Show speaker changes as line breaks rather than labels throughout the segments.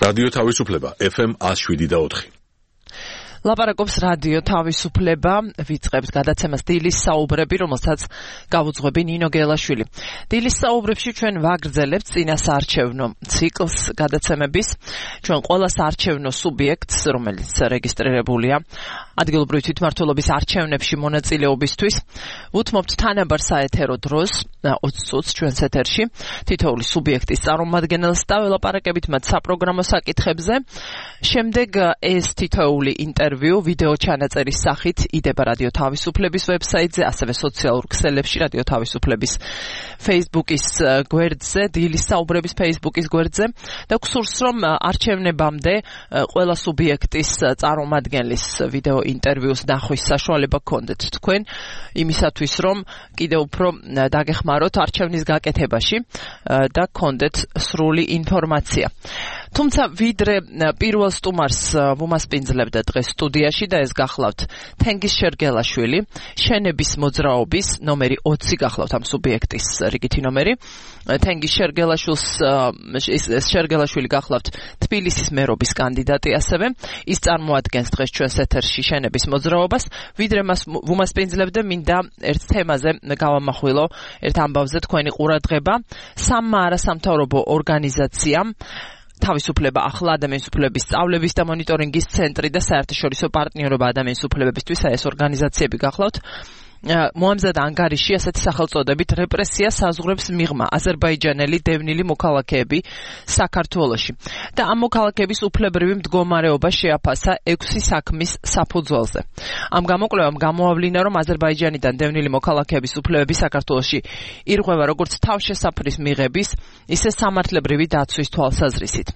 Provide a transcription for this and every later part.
რადიო თავისუფლება FM 107.4.
ლაპარაკობს რადიო თავისუფლება, ვიწყებს გადაცემას დილის საუბრები, რომელსაც გავუძღვები ნინო გელაშვილი. დილის საუბრებში ჩვენ ვაგრძელებთ წინასაარჩევნო ციკლს გადაცემების. ჩვენ ყველა საარჩევნო სუბიექტს, რომელიც რეგისტრირებულია ადგილობრივი თვითმმართველობის არჩევნებში მონაწილეობისთვის, უთმობთ თანაბარ საეთერო დროს 20 წუთს ჩვენს ეთერში თითოეული სუბიექტის წარმომადგენელს და ველაპარაკებით მათ საპროგრამო საკითხებზე. შემდეგ ეს თითოეული ინტერვიუ ვიდეო ჩანაწერის სახით იდება რადიო თავისუფლების ვებსაიტზე, ასევე სოციალურ ქსელებში, რადიო თავისუფლების Facebook-ის გვერდზე, დილის საუბრების Facebook-ის გვერდზე და გსურს რომ არჩევნებამდე ყველა სუბიექტის წარმომადგენლის ვიდეო ინტერვიუს ნახვის საშუალება გქონდეთ თქვენ, იმისათვის რომ კიდევ უფრო დაგეხმაროთ არჩევნის გაკეთებაში და გქონდეთ სრული ინფორმაცია. თუმცა ვიდრე პირველ სტუმარს ვუმასპინძლებდა დღეს სტუდიაში და ეს გახლავთ თენგიზ შერგელაშვილი, შენების მოძრაობის ნომერი 20 გახლავთ ამ სუბიექტის რიგითი ნომერი. თენგიზ შერგელაშვილი გახლავთ თბილისის მერობის კანდიდატი ასევე. ის წარმოადგენს დღეს ჩვენს ეთერში შენების მოძრაობას. ვიდრე მას ვუმასპინძლებდა, მინდა ერთ თემაზე გავამახვილო, ერთ ამბავზე თქვენი ყურადღება. სამმა არასამთავრობო ორგანიზაციამ თავისუფლება ახლა ადამიანის უფლებების სწავლების და მონიტორინგის ცენტრი და საერთაშორისო პარტნიორობა ადამიანის უფლებებისთვის, ეს ორგანიზაციები გახლავთ, მოამზადა ანგარიში ასეთი სახელწოდებით რეპრესია საზღვრებს მიღმა აზერბაიჯანელი დევნილი მოქალაქეები საქართველოში და ამ მოქალაქეების უფლებრივი მდგომარეობა შეაფასა 6 საქმის საფუძველზე. ამ გამოკვლევამ გამოავლინა, რომ აზერბაიჯანიდან დევნილი მოქალაქეების უფლებები საქართველოში ირღვევა როგორც თავშესაფრის მიღების, ისე სამართლებრივი დაცვის თვალსაზრისით.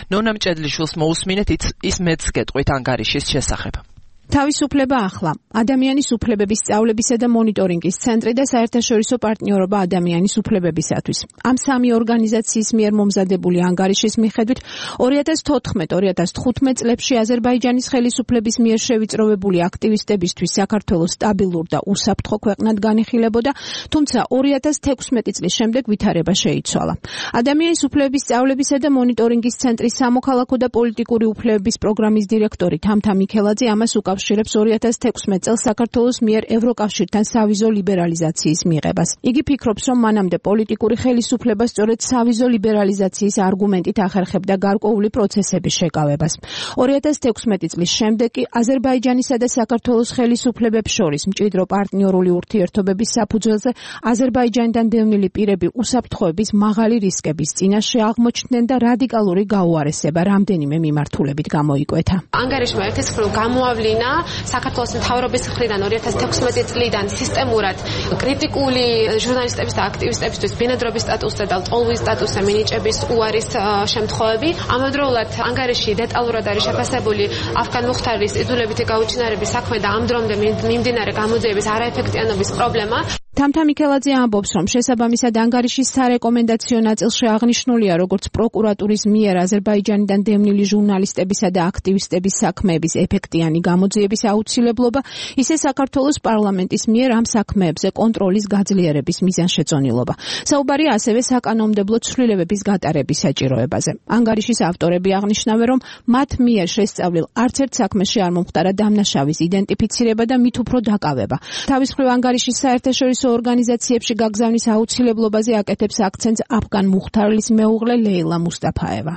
ნონა მჭედლიშვილს მოусმინეთ ის მეც გეტყვით ანგარიშის შესახებ.
თავისუფლება ახლა ადამიანის უფლებების სწავლებისა და მონიტორინგის ცენტრი და საერთაშორისო პარტნიორობა ადამიანის უფლებებისათვის. ამ სამი ორგანიზაციის მიერ მომზადებული ანგარიშის მიხედვით 2014-2015 წლებში აზერბაიჯანის ხელისუფლების მიერ შევიწროვებული აქტივისტებისთვის საქართველოს სტაბილურ და უსაფრთხო ქვეყნად განიხილებოდა, თუმცა 2016 წლის შემდეგ ვითარება შეიცვალა. ადამიანის უფლებების სწავლებისა და მონიტორინგის ცენტრის სამოქალაქო და პოლიტიკური უფლებების პროგრამის დირექტორი თამთა მიქელაძე ამას უკავშირებს 2016 წელს საქართველოს მიერ ევროკავშირთან სავიზო ლიბერალიზაციის მიღებას. იგი ფიქრობს, რომ მანამდე პოლიტიკური ხელისუფლება სწორედ სავიზო ლიბერალიზაციის არგუმენტით ახერხებდა გარკვეული პროცესების შეკავებას. 2016 წლის შემდეგ კი აზერბაიჯანისა და საქართველოს ხელისუფლებებს შორის მჭიდრო პარტნიორული ურთიერთობების საფუძველზე აზერბაიჯანიდან დევნილი პირები უსაფრთხოების მაღალი რისკების წინაშე აღმოჩნდნენ და რადიკალური გაუარესება რამდენიმე მიმართულებით გამოიკვეთა.
ანგარიშმა ერთის მხრივ გამოავლინა საქართველოს მთავრობის მხრიდან 2016 წლიდან სისტემურად კრიტიკული ჟურნალისტების და აქტივისტებისთვის ბინადრობის სტატუსზე და ლტოლვის სტატუსზე მინიჭების უარის შემთხვევები. ამავდროულად ანგარიში დეტალურად არის შეფასებული αφგან მუხთარის იძულებითი გაუჩინარების საქმე და ამ დრომდე მიმდინარე გამოძიების არაეფექტიანობის პრობლემა.
თამთა მიქელაძე ამბობს, რომ შესაბამისად ანგარიშის სარეკომენდაციო ნაწილში აღნიშნულია, როგორც პროკურატურის მიერ აზერბაიჯანიდან დევნილი ჟურნალისტებისა და აქტივისტების საქმეების ეფექტიანი გამოძიების აუცილებლობა, ისე საქართველოს პარლამენტის მიერ ამ საქმეებზე კონტროლის გაძლიერების მიზანშეწონილობა. საუბარი ასევე საკანონმდებლო ცვლილებების გატარების საჭიროებაზე. ანგარიშის ავტორები აღნიშნავენ, რომ მათ მიერ შესწავლილ არც ერთ საქმეში არ მომხდარა დამნაშავის იდენტიფიცირება და მით უფრო დაკავება. თავის მხრივ ანგარიშის საერთაშორისო ორგანიზაციებში გაგზავნის აუცილებლობაზე აკეთებს აქცენტს აფგან მუხთარლის მეუღლე ლეილა მუსტაფაევა.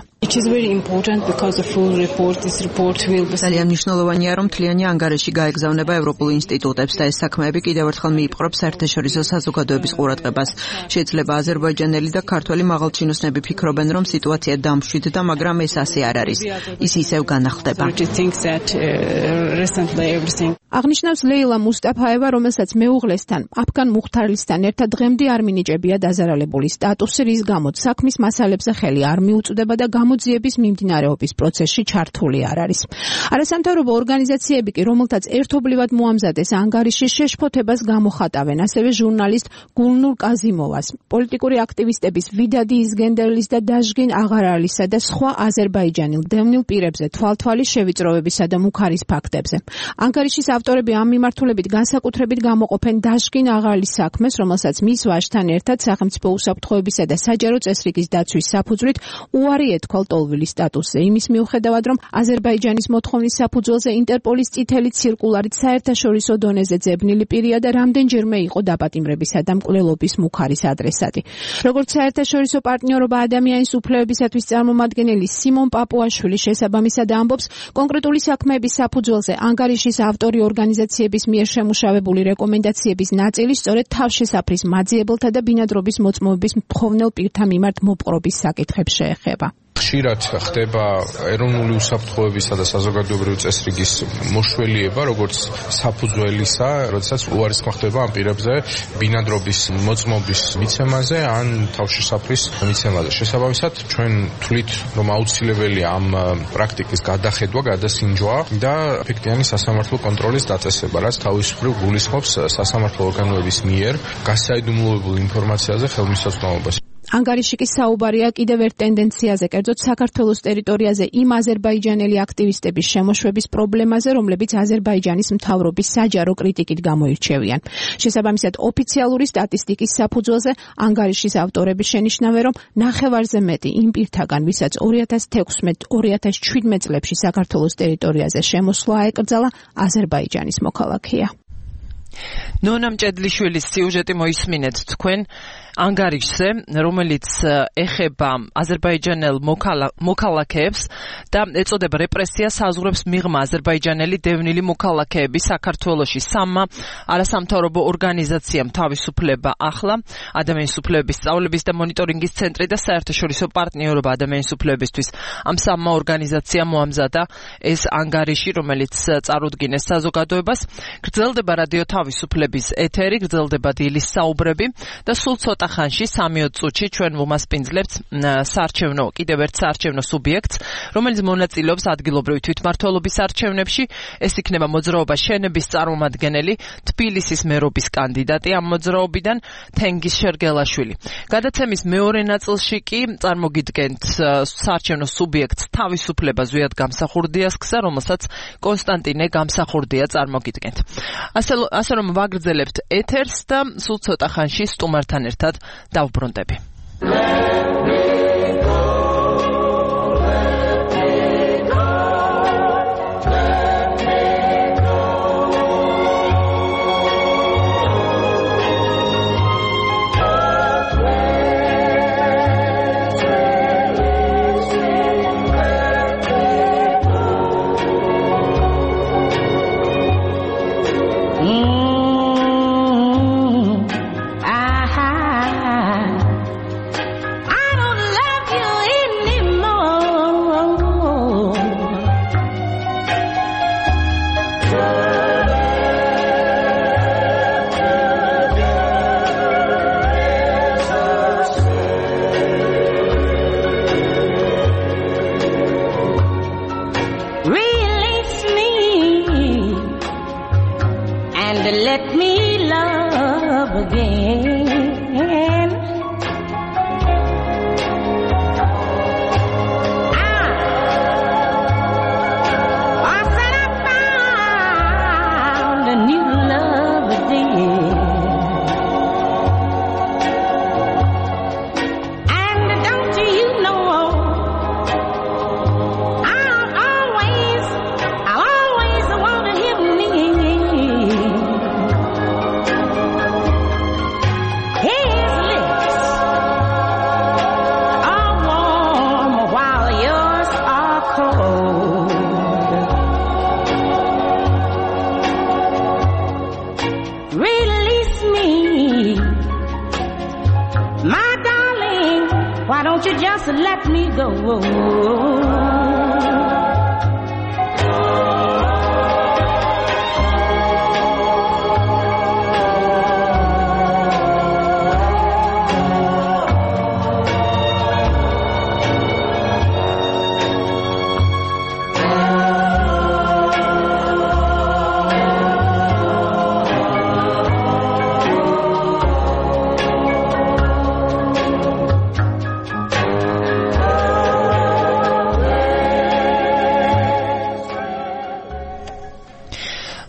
ძალიან მნიშვნელოვანია, რომ მთლიანი ანგარიში გაეგზავნება ევროპულ ინსტიტუტებს და ეს საქმეები კიდევ ერთხელ მიიპყრობს საერთაშორისო საზოგადოების ყურადღებას. შეიძლება აზერბაიჯანელი და ქართველი მაღალჩინოსნები ფიქრობენ, რომ სიტუაცია დამშვიდდა, მაგრამ ეს ასე არ არის. ის ისევ განახლდება.
აღნიშნავს ლეილა მუსტაფაევა, რომელსაც მეუღლესთან აფგან მუხთარლისთან ერთად დღემდე არ მინიჭებია დაზარალებული სტატუსი, რის გამოც საქმის მასალებზე ხელი არ მიუწვდება და გამოძიების მიმდინარეობის პროცესში ჩართული არ არის. არასამთავრობო ორგანიზაციები კი, რომელთაც ერთობლივად მოამზადეს ანგარიში, შეშფოთებას გამოხატავენ ასევე ჟურნალისტ გულნურ კაზიმოვას, პოლიტიკური აქტივისტების ვიდადი იზგენდერლის და დაჟგინ აღარალისა და სხვა აზერბაიჯანელ დევნილ პირებზე თვალთვალი შევიწროვებისა და მუქარის ფაქტებზე. ანგარიშის ავტორები ამ მიმართულებით განსაკუთრებით გამოყოფენ დაჟგინ აღარლის საქმეს, რომელსაც მის ვაჟთან ერთად სახელმწიფო უსაფრთხოებისა და საჯარო წესრიგის დაცვის საფუძვლით უარი ეთქვა ლტოლვილის სტატუსზე. იმის მიუხედავად, რომ აზერბაიჯანის მოთხოვნის საფუძველზე ინტერპოლის წითელი ცირკულარით საერთაშორისო დონეზე ძებნილი პირია და რამდენჯერმე იყო დაპატიმრებისა და მკვლელობის მუხარის ადრესატი. როგორც საერთაშორისო პარტნიორობა ადამიანის უფლებებისათვის წარმომადგენელი სიმონ პაპუაშვილი შესაბამისად ამბობს, კონკრეტული საქმეების საფუძველზე ანგარიშის ავტორი ორგანიზაციების მიერ შემუშავებული რეკომენდაციების ნაწილი სწორედ თავშესაფრის მაძიებელთა და ბინადრობის მოწმობების მთხოვნელ პირთა მიმართ მოპყრობის საკითხებს შეეხება.
ხშირად ხდება ეროვნული უსაფრთხოებისა და საზოგადოებრივი წესრიგის მოშველიება, როგორც საფუძველისა, როდესაც უარისხმა ხდება ამ პირებზე ბინადრობის მოწმობის მიცემაზე ან თავშესაფრის მიცემაზე. შესაბამისად, ჩვენ თვლით, რომ აუცილებელია ამ პრაქტიკის გადახედვა, გადასინჯვა და ეფექტიანი სასამართლო კონტროლის დაწესება, რაც თავისუფლად გულისხმობს სასამართლო ორგანოების მიერ გასაიდუმლოებულ ინფორმაციაზე ხელმისაწვდომობას.
ანგარიში კი საუბარია კიდევ ერთ ტენდენციაზე, კერძოდ საქართველოს ტერიტორიაზე იმ აზერბაიჯანელი აქტივისტების შემოშვების პრობლემაზე, რომლებიც აზერბაიჯანის მთავრობის საჯარო კრიტიკით გამოირჩევიან. შესაბამისად, ოფიციალური სტატისტიკის საფუძველზე ანგარიშის ავტორები შენიშნავენ, რომ ნახევარზე მეტი იმ პირთაგან, ვისაც 2016-2017 წლებში საქართველოს ტერიტორიაზე შემოსვლა ეკრძალა, აზერბაიჯანის მოქალაქეა.
ნონა მჭედლიშვილის სიუჟეტი მოისმინეთ თქვენ ანგარიშზე, რომელიც ეხება აზერბაიჯანელ მოქალაქეებს და ეწოდება რეპრესიას საზღვრებს მიღმა აზერბაიჯანელი დევნილი მოქალაქეები საქართველოში. სამმა არასამთავრობო ორგანიზაციამ თავისუფლება ახლა, ადამიანის უფლებების სწავლების და მონიტორინგის ცენტრი და საერთაშორისო პარტნიორობა ადამიანის უფლებებისთვის. ამ სამმა ორგანიზაციამ მოამზადა ეს ანგარიში, რომელიც წარუდგინეს საზოგადოებას. გრძელდება რადიო თავისუფლების ეთერი, გრძელდება დილის საუბრები და სულ ცოტა ხანში 3-4 წუთში ჩვენ ვუმასპინძლებთ კიდევ ერთ საარჩევნო სუბიექტს, რომელიც მონაწილეობს ადგილობრივი თვითმმართველობის არჩევნებში. ეს იქნება მოძრაობა შენების წარმომადგენელი, თბილისის მერობის კანდიდატი ამ მოძრაობიდან თენგიზ შერგელაშვილი. გადაცემის მეორე ნაწილში კი წარმოგიდგენთ საარჩევნო სუბიექტს თავისუფლება ზვიად გამსახურდიას გზა, რომელსაც კონსტანტინე გამსახურდია წარმოგიდგენთ. ასე რომ ვაგრძელებთ ეთერს და სულ ცოტა ხანში სტუმართან ერთად დავბრუნდები.
Let me go.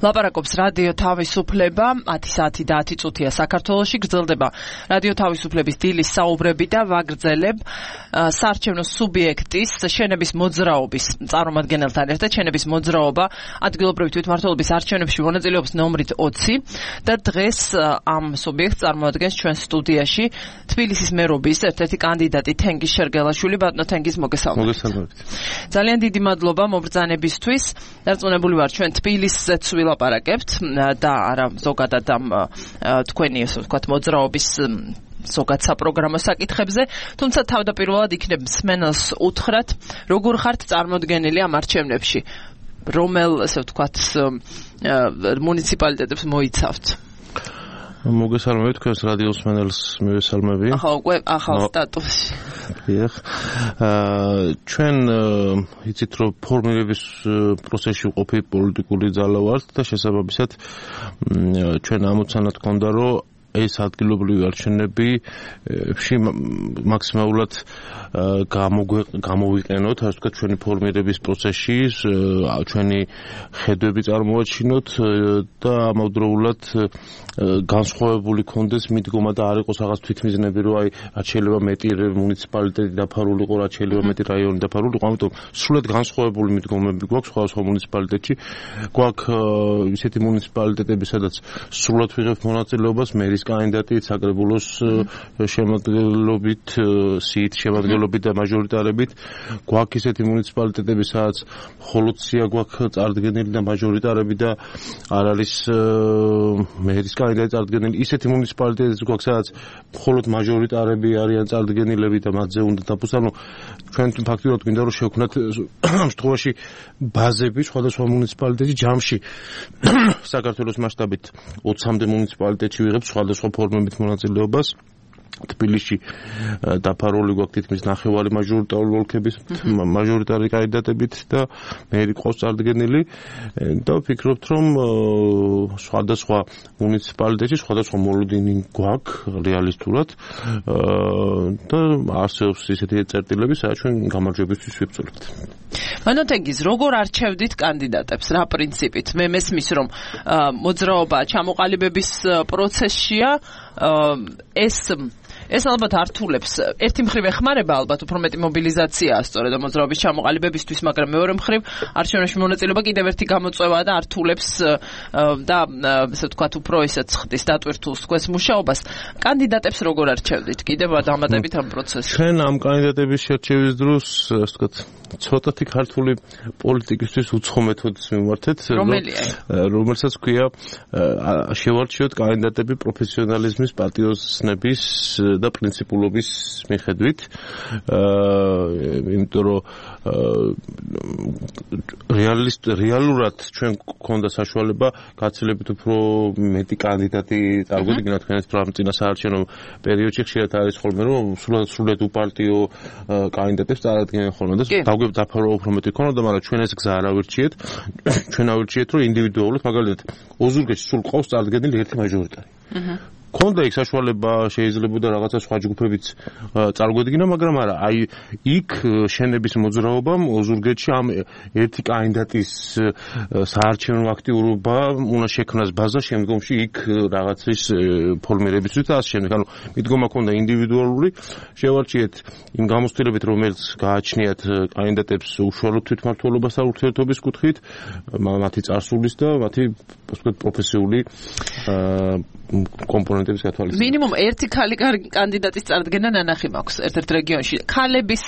ლაპარაკობს რადიო თავისუფლება 10 საათი და 10 წუთია საქართველოში გრძელდება რადიო თავისუფლების დილის საუბრები და ვაგრძელებ საარჩევნო სუბიექტის შენების მოძრაობის წარმომადგენელთან ერთად შენების მოძრაობა ადგილობრივი თვითმმართველობის არჩევნებში მონაწილეობს ნომრით 20 და დღეს ამ სუბიექტს წარმოადგენს ჩვენ სტუდიაში თბილისის მერობის ერთ-ერთი კანდიდატი თენგიზ შერგელაშვილი. ბატონო თენგიზ, მოგესალმებით. ძალიან დიდი მადლობა მობრძანებისთვის. დარწმუნებული ვარ ჩვენ თბილისზეც ვილაპარაკებთ და არა ზოგადად ამ თქვენი ასე ვთქვათ მოძრაობის ზოგად საპროგრამო საკითხებზე, თუმცა თავდაპირველად იქნებ მსმენელს უთხრათ, როგორ ხართ წარმოდგენილი ამ არჩევნებში, რომელ ასე ვთქვათ მუნიციპალიტეტებს მოიცავთ?
მოგესალმებით თქვენს რადიოს მსმენელს მივესალმები.
ახალ სტატუსში.
ჩვენ იცით რომ ფორმირების პროცესში ვყოფი პოლიტიკური ძალა ვართ და შესაბამისად ჩვენ ამოცანად გქონდა რომ ეს ადგილობრივი არჩევნები მაქსიმალურად გამოვიყენოთ, ასე ვთქვათ, ჩვენი ფორმირების პროცესში, ჩვენი ხედვები წარმოვაჩინოთ და ამავდროულად განსხვავებული კონდეს მიდგომა და არ იყოს რაღაც თვითმიზნები, რომ აი რაც შეიძლება მეტი მუნიციპალიტეტი დაფარული იყო, რაც შეიძლება მეტი რაიონი დაფარული იყო, ამიტომ სრულად განსხვავებული მიდგომები გვაქვს სხვადასხვა მუნიციპალიტეტში. გვაქვს ისეთი მუნიციპალიტეტები, სადაც სრულად ვიღებთ მონაწილეობას მერის კანდიდატი საკრებულოს შემადგენლობით, სიით შემადგენლობით და მაჟორიტარებით. გვაქვს ისეთი მუნიციპალიტეტები, სადაც მხოლოდ სია გვაქვს წარდგენილი და მაჟორიტარები და არ არის მერის კანდიდატი წარდგენილი. ისეთი მუნიციპალიტეტები გვაქვს, სადაც მხოლოდ მაჟორიტარები არიან წარდგენილები და მათზე უნდა დაფუძნო. ჩვენ ფაქტობრივად გვინდა რომ შევქმნათ ამ შემთხვევაში ბაზები სხვადასხვა მუნიციპალიტეტში ჯამში საქართველოს მასშტაბით 20-მდე მუნიციპალიტეტში ვიღებთ სხვადასხვა ფორმებით მონაწილეობას. თბილისში დაფარული გვაქვს თითქმის ნახევარი მაჟორიტარული ოლქების მაჟორიტარი კანდიდატებით და მერი ყავს წარდგენილი და ვფიქრობთ რომ სხვადასხვა მუნიციპალიტეტში სხვადასხვა მოლოდინი გვაქვს რეალისტურად და არსებობს ისეთი წერტილები, სადაც ჩვენ გამარჯვებისთვის ვიბრძოლებთ.
ბატონო თენგიზ, როგორ არჩევდით კანდიდატებს, რა პრინციპით? მე მესმის რომ მოძრაობა ჩამოყალიბების პროცესშია, ეს ალბათ ართულებს ერთი მხრივ ეხმარება ალბათ უფრო მეტი მობილიზაციაა სწორედ მოძრაობის ჩამოყალიბებისთვის, მაგრამ მეორე მხრივ არჩევნებში მონაწილეობა კიდევ ერთი გამოწვევაა და ართულებს და ასე ვთქვათ უფრო ისეთ ხდის დატვირთულს თქვენს მუშაობას. კანდიდატებს როგორ არჩევდით? კიდევ დამატებით ამ პროცესში.
ჩვენ ამ კანდიდატების შერჩევის დროს ასე ვთქვათ ცოტათი ქართული პოლიტიკისთვის უცხო მეთოდს მივმართეთ, რომელსაც ქვია შევარჩიოთ კანდიდატები პროფესიონალიზმის, პატრიოტიზმის და პრინციპულობის მიხედვით. იმიტომ რომ რეალურად ჩვენ გქონდა საშუალება გაცილებით უფრო მეტი კანდიდატი წარგვედგინა თქვენს წინა საარჩევნო პერიოდში. ხშირად არის ხოლმე რომ სრულად უპარტიო კანდიდატებს წარადგენენ ხოლმე და დაფარვა უფრო მეტი ქონოდა, მაგრამ ჩვენ ეს გზა არ ავირჩიეთ. ჩვენ ავირჩიეთ რომ ინდივიდუალურად, მაგალითად ოზურგეთში სულ ყავს წარდგენილი ერთი მაჟორიტარი. ქონდა იქ საშუალება შეიძლებოდა რაღაცა სხვა ჯგუფებიც წარგვედგინა, მაგრამ არა, აი იქ შენების მოძრაობამ ოზურგეთში ამ ერთი კანდიდატის საარჩევნო აქტიურობა უნდა შექმნას ბაზა შემდგომში იქ რაღაცის ფორმირებისთვის და ასე შემდეგ. ანუ მიდგომა ქონდა ინდივიდუალური, შევარჩიეთ იმ გამოცდილებით, რომელიც გააჩნიათ კანდიდატებს უშუალოდ თვითმმართველობასთან ურთიერთობის კუთხით, მათი წარსულის და მათი პროფესიული კომპონენტების გათვალისწინებით.
მინიმუმ ერთი ქალი კანდიდატის წარდგენა ნანახი მაქვს ერთ-ერთ რეგიონში. ქალების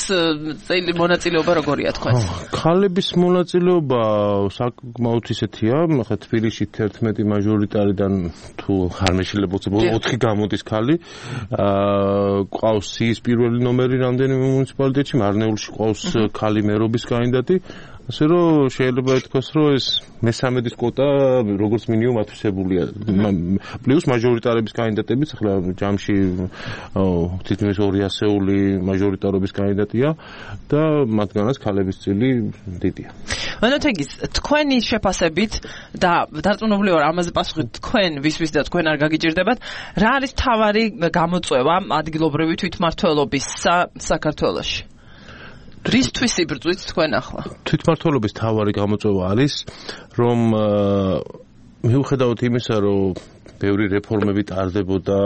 მონაწილეობა როგორია თქვენ?
ქალების მონაწილეობა საკმაოდ ისეთია, ხა თბილისში 11 მაჟორიტარიდან თუ არ მეშილებოც 4 გამოდის ქალი. ყავს სიის პირველი ნომერი რამდენიმე მუნიციპალიტეტში, მარნეულში ყავს ქალი მერობის კანდიდატი. ასე რომ შეიძლება ითქვას, რომ ეს მესამედის კვოტა როგორც მინიმუმ ათვისებულია. პლუს მაჟორიტარების კანდიდატებიც ახლა ჯამში თითქმის 200-ული მაჟორიტარობის კანდიდატია და მათგანაც ქალების წილი დიდია.
ბატონო თენგიზ, თქვენი შეფასებით და დარწმუნებული ვარ ამაზე პასუხი თქვენ ვისთვის და თქვენ არ გაგიჭირდებათ, რა არის მთავარი გამოწვევა ადგილობრივი თვითმმართველობის საქართველოში? რისთვის იბრძვით თქვენ ახლა?
თვითმმართველობის მთავარი გამოწვევა არის, რომ მიუხედავად იმისა, რომ ბევრი რეფორმები ტარდებოდა,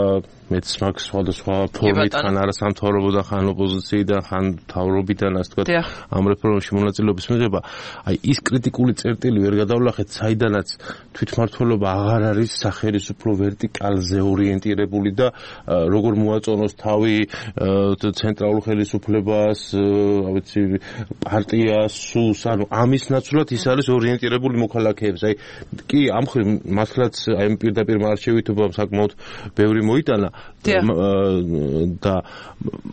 მეც მაქვს სხვადასხვა ფორმით, ხან არასამთავრობოდან, ხან ოპოზიციიდან, ხან მთავრობიდან, ასე ვთქვათ, ამ რეფორმებში მონაწილეობის მიღება, აი ის კრიტიკული წერტილი ვერ გადავლახეთ, საიდანაც თვითმმართველობა აღარ არის სახელმწიფო ვერტიკალზე ორიენტირებული და როგორ მოაწონოს თავი ცენტრალურ ხელისუფლებას, რა ვიცი, პარტიას, სულს, ანუ ამის ნაცვლად ის არის ორიენტირებული მოქალაქეებს. აი კი ამ ხრივ მართლაც აი პირდაპირ მარჩევითობამ საკმაოდ ბევრი მოიტანა და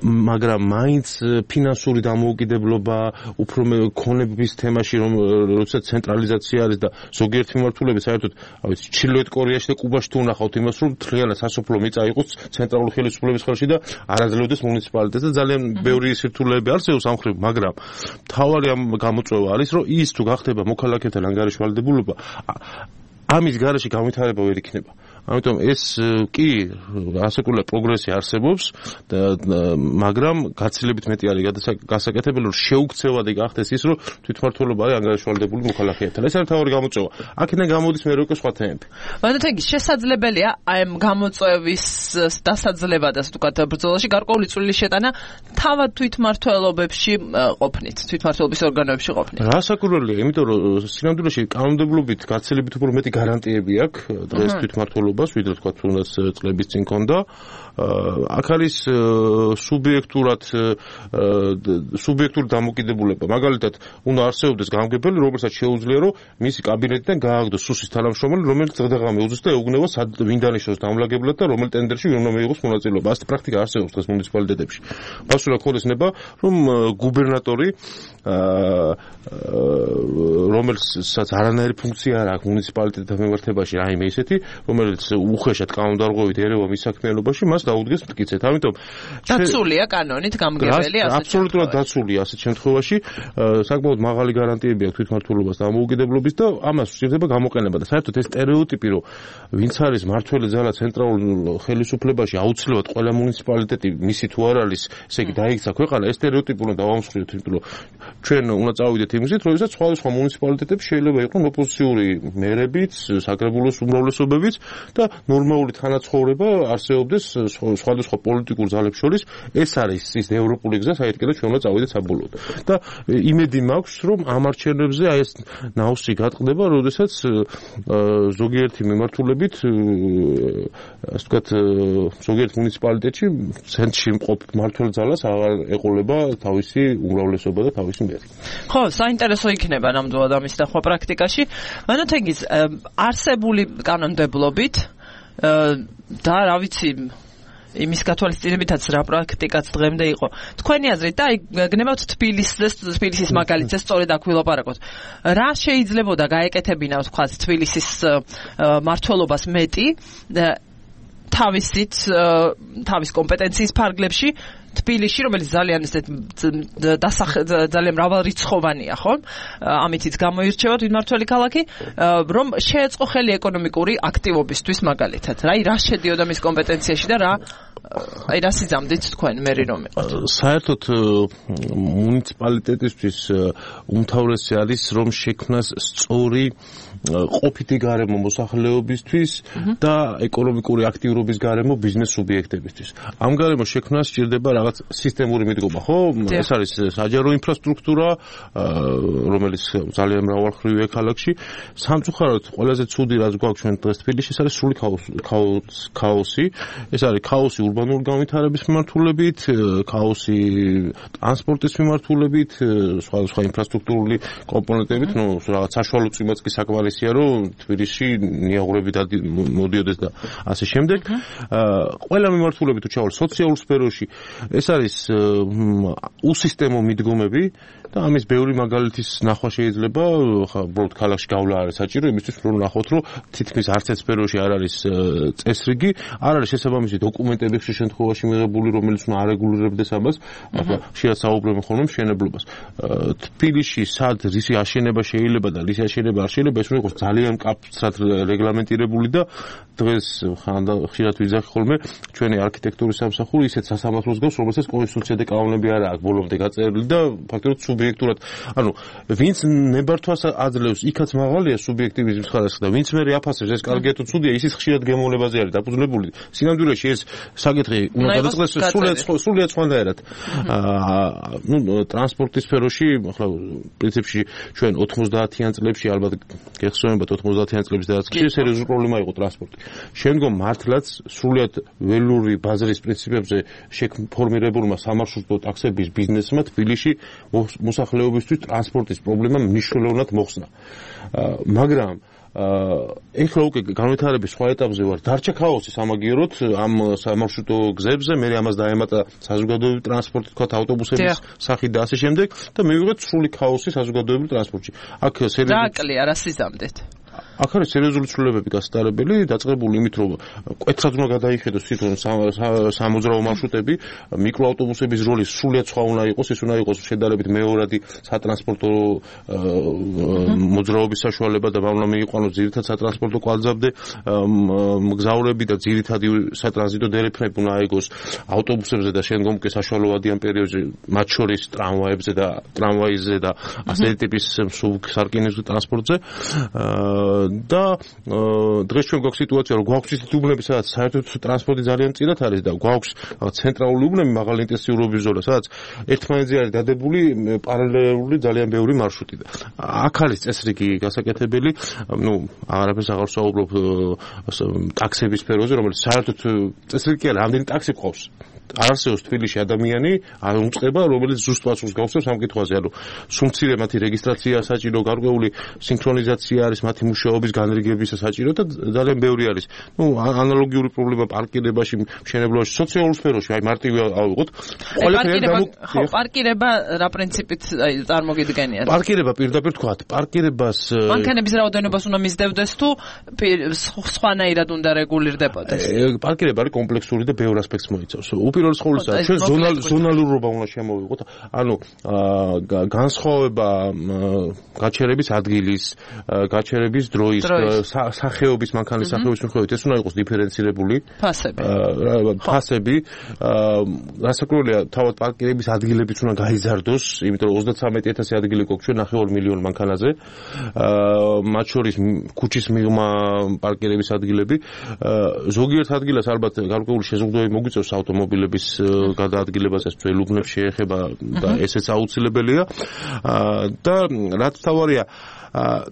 მაგრამ მაინც ფინანსური დამოუკიდებლობა, უფრო ქონების თემაში, როცა ცენტრალიზაცია არის და ზოგიერთი მიმართულებით საერთოდ, რა ვიცი, ჩრდილოეთ კორეაში და კუბაში თუ ვნახავთ იმას, რომ მთლიანად სასოფლო მიწა იყოს ცენტრალური ხელისუფლების ხელში და არაძლევდეს მუნიციპალიტეტს და ძალიან ბევრი სირთულეები არსებობს ამ ხრივ, მაგრამ მთავარი ამ გამოწვევა არის, რომ ის თუ გახდება მოქალაქეთა ანგარიშვალდებულობა, ამის გარეშე განვითარება ვერ იქნება. ამიტომ ეს კი ასაკული პროგრესი არსებობს, მაგრამ გაცილებით მეტი არის გასაკეთებელი, რომ შეუქცევადი გახდეს ის, რომ თვითმმართველობა არის ანგარიშვალდებული მოქალაქეებთან. ეს არის თავი გამოწვევა. აქედან გამოდის მე უკვე სხვა თემები.
მანდ შესაძლებელია აი ამ გამოწვევის დასაძლება და ასე ვთქვათ ბრძოლაში გარკვეული წვლილი შეტანა თავად თვითმმართველობებში ყოფნით, თვითმმართველობის ორგანოებში ყოფნით.
რასაკვირველია, იმიტომ რომ სინამდვილეში კანონმდებლობით გაცილებით უფრო მეტი გარანტიები აქვს დღეს თვითმმართველობა ვიდრე თქვა თუნდაც წლების წინ ქონდა. აქ არის სუბიექტური დამოკიდებულება. მაგალითად, უნდა არსებობდეს გამგებელი, რომელსაც შეუძლია, რომ მისი კაბინეტიდან გააგდოს სუსის თანამშრომელი, რომელიც დღე-დღე უძოს და ეუბნება ვინ დანიშნოს დამლაგებლად და რომელ ტენდერში ვინ უნდა მიიღოს მონაწილეობა. ასეთი პრაქტიკა არსებობს დღეს მუნიციპალიტეტებში. ბასურა ქოლესნება, რომ გუბერნატორი რომელსაც არანაირი ფუნქცია არ აქვს მუნიციპალიტეტთან მიმართებაში, რაიმე ისეთი, რომელიც უხეშად კანონდარღვევით ერევა მის საქმიანობაში, მას დაუდგეს მტკიცედ. ამიტომ
დაცულია კანონით გამგებელი ასე.
აბსოლუტურად დაცულია ასეთ შემთხვევაში, საკმაოდ მაღალი გარანტიები აქვს თვითმმართველობას დამოუკიდებლობის და ამას უსწრდება გამოყენება და საერთოდ ეს სტერეოტიპი, რომ ვინც არის მმართველი ძალა ცენტრალურ ხელისუფლებაში, აუცილებლად ყველა მუნიციპალიტეტი მისი თუ არ არის, ესე იგი დაიქცა ქვეყანა, ეს სტერეოტიპი უნდა დავამსხვრიოთ, იმიტომ რომ ჩვენ უნდა წავიდეთ იმისით, როდესაც სხვადასხვა მუნიციპალიტეტებში შეიძლება იყვნენ ოპოზიციური მერებიც, საკრებულოს უმრავლესობებიც და ნორმალური თანაცხოვრება არსებობდეს სხვადასხვა პოლიტიკურ ძალებს შორის. ეს არის ის ევროპული გზა, საერთოდ ჩვენ უნდა წავიდეთ საბოლოოდ. და იმედი მაქვს, რომ ამ არჩევნებზე აი ეს ნაოსი გატყდება, როდესაც ზოგიერთი მიმართულებით, ასე ვთქვათ, ზოგიერთ მუნიციპალიტეტში ცენტრში მყოფ მმართველ ძალას აღარ ეყოლება თავისი უმრავლესობა და თავისი მერი.
ხო, საინტერესო იქნება ნამდვილად ამის დახვა პრაქტიკაში. მანოთეგის არსებული კანონმდებლობით და რა ვიცი იმის გათვალისწინებითაც რა პრაქტიკაც დღემდე იყო. თქვენი აზრით და აი გნებავთ თბილისის მაგალითზე სწორედ აქ ვილაპარაკოთ. რა შეიძლებოდა გაეკეთებინა ვთქვათ თბილისის მმართველობას მეტი თავის კომპეტენციის ფარგლებში თბილისში, რომელიც ძალიან ძალიან მრავალრიცხოვანია, ხო? ამითიც გამოირჩევა თვითმმართველი ქალაქი, რომ შეეწყო ხელი ეკონომიკური აქტივობისთვის მაგალითად. რა შედიოდა მის კომპეტენციაში და რა სიძამდით თქვენ მერი რომ იყოთ?
საერთოდ მუნიციპალიტეტისთვის უმთავრესი არის რომ შექმნას სწორი ყოფითი გარემო მოსახლეობისთვის და ეკონომიკური აქტიურობის გარემო ბიზნეს სუბიექტებისთვის. ამ გარემო შექმნას სჭირდება რაღაც სისტემური მიდგომა, ხო? ეს არის საჯარო ინფრასტრუქტურა, რომელიც ძალიან მრავალმხრივია ქალაქში. სამწუხაროდ ყველაზე ცუდი რაც გვაქვს ჩვენ დღეს თბილისში, ეს არის სრული ქაოსი. ეს არის ქაოსი ურბანული განვითარების მიმართულებით, ქაოსი ტრანსპორტის მიმართულებით, სხვადასხვა ინფრასტრუქტურული კომპონენტებით, რაღაც საშუალო წვიმაც კი საკმარისია, რომ თბილისში ნიაღურები მოდიოდეს და ასე შემდეგ. ყველა მიმართულებით თუ ჩავალ სოციალურ სფეროში, ეს არის უსისტემო მიდგომები და ამის ბევრი მაგალითის ნახვა შეიძლება, უბრალოდ ქალაქში გავლა არის საჭირო, იმისთვის რომ ნახოთ, რომ თითქმის არც ერთ სფეროში არ არის წესრიგი, არ არის შესაბამისი დოკუმენტები ხშირ შემთხვევაში მიღებული, რომელიც უნდა არეგულირებდეს ამას, ხშირად საუბრობენ ხოლმე მშენებლობას. თბილისში სად რისი აშენება შეიძლება და რისი აშენება არ შეიძლება, ეს უნდა უნდა იყოს ძალიან მკაფრად რეგლამენტირებული და დღეს ხშირად ვიძახი ხოლმე ჩვენი არქიტექტურის სამსახური ისეთ სასამართლოს გავს, რომელსაც კონსტიტუცია და კანონები არ აქვს ბოლომდე გაწერილი და ფაქტობრივად სუბიექტურად, ანუ ვინც ნებართვას აძლევს, იქაც მაღალია სუბიექტივიზმის ხარისხი და ვინც მე აფასებს, ეს კარგია თუ ცუდია, ისიც ხშირად გემოვნებაზე არის დაფუძნებული. სინამდვილეში ეს საკითხი უნდა გადაწყდეს სრულიად სხვანაირად. ტრანსპორტის სფეროში, ახლა პრინციპში ჩვენ 90-იან წლებში ალბათ გეხსოვებათ 90-იან წლების დასაწყისში სერიოზული პრობლემა იყო ტრანსპორტი. შემდგომ მართლაც სრულიად ველური ბაზრის პრინციპებზე შეფორმირებულმა სამარშრუტო ტაქსების ბიზნესმა თბილისში მოსახლეობისთვის ტრანსპორტის პრობლემა მნიშვნელოვნად მოხსნა. მაგრამ ეხლა უკვე განვითარების სხვა ეტაპზე ვარ. დარჩა ქაოსი სამაგიეროდ ამ სამარშრუტო გზებზე, მე ამას დაემატა საზოგადოებრივი ტრანსპორტი, თქვათ ავტობუსების სახით და ასე შემდეგ და მივიღეთ სრული ქაოსი საზოგადოებრივ ტრანსპორტში. აქ
დააკლია რა სიზამდეთ.
აქ არის სერიოზული ცვლილებები გასტარებელი, დაწყებული იმით, რომ კვეთრად უნდა გადაიხედოს თვითონ სამოძრაო მარშრუტები, მიკროავტობუსების როლი სრულიად სხვა უნდა იყოს, ეს უნდა იყოს შედარებით მეორადი სატრანსპორტო მოძრაობის საშუალება და უნდა მიიყვანოს ძირითად სატრანსპორტო კვანძამდე მგზავრები და ძირითადი სატრანზიტო დერეფნები უნდა აიგოს ავტობუსებზე და შემდგომ კი საშუალოვადიან პერიოდში, მათ შორის ტრამვაიზე და ასეთი ტიპის სარკინიგზო ტრანსპორტზე. და დღეს ჩვენ გვაქვს სიტუაცია, რომ გვაქვს ისეთი უბნები, სადაც საერთოდ ტრანსპორტი ძალიან მწირად არის და გვაქვს ცენტრალური უბნები მაღალი ინტენსიურობის ზონა, სადაც ერთმანეთზე არის დადებული პარალელური ძალიან ბევრი მარშრუტი. აქ არის წესრიგი გასაკეთებელი, არაფერს აღარ ვსაუბრობ ტაქსების სფეროზე, რომელიც საერთოდ წესრიგი არის, რამდენი ტაქსი ყავს. არ არსებობს თბილისში ადამიანი არ უწყება, რომელიც ზუსტ პასუხს გავსებს ამ კითხვაზე, ანუ სუმცირე მათი რეგისტრაცია საჭირო, გარკვეული სინქრონიზაცია არის მათი მუშაობის განრიგების საჭირო და ძალიან ბევრი არის. ანალოგიური პრობლემა პარკირებაში, მშენებლობაში, სოციალურ სფეროში, აი მარტივი ავიღოთ.
პარკირება რა პრინციპით წარმოგიდგენიათ?
პარკირება პირდაპირ თქვათ, პარკირებას
მანქანების რაოდენობას უნდა მისდევდეს თუ სხვანაირად უნდა რეგულირდებოდეს?
პარკირება არის კომპლექსური და ბევრ ასპექტს მოიცავს. უპირველეს ყოვლისა, ჩვენ ზონალურობა უნდა შემოვიღოთ. ანუ განსხვავება გაჩერების ადგილის, გაჩერების დროის, სახეობის, მანქანის სახეობის მიხედვით ეს უნდა იყოს დიფერენცირებული. ფასები. რასაკვირველია, თავად პარკირების ადგილებიც უნდა გაიზარდოს, იმიტომ რომ 33,000 ადგილი გვაქვს ჩვენ 9 მილიონი მანქანაზე. მათ შორის ქუჩის მიღმა პარკირების ადგილები. ზოგიერთ ადგილას ალბათ გარკვეული შეზღუდვები მოგვიწევს ავტომობილების გადაადგილებასაც ძველ უბნებს შეეხება და ესეც აუცილებელია. და რაც თავარია,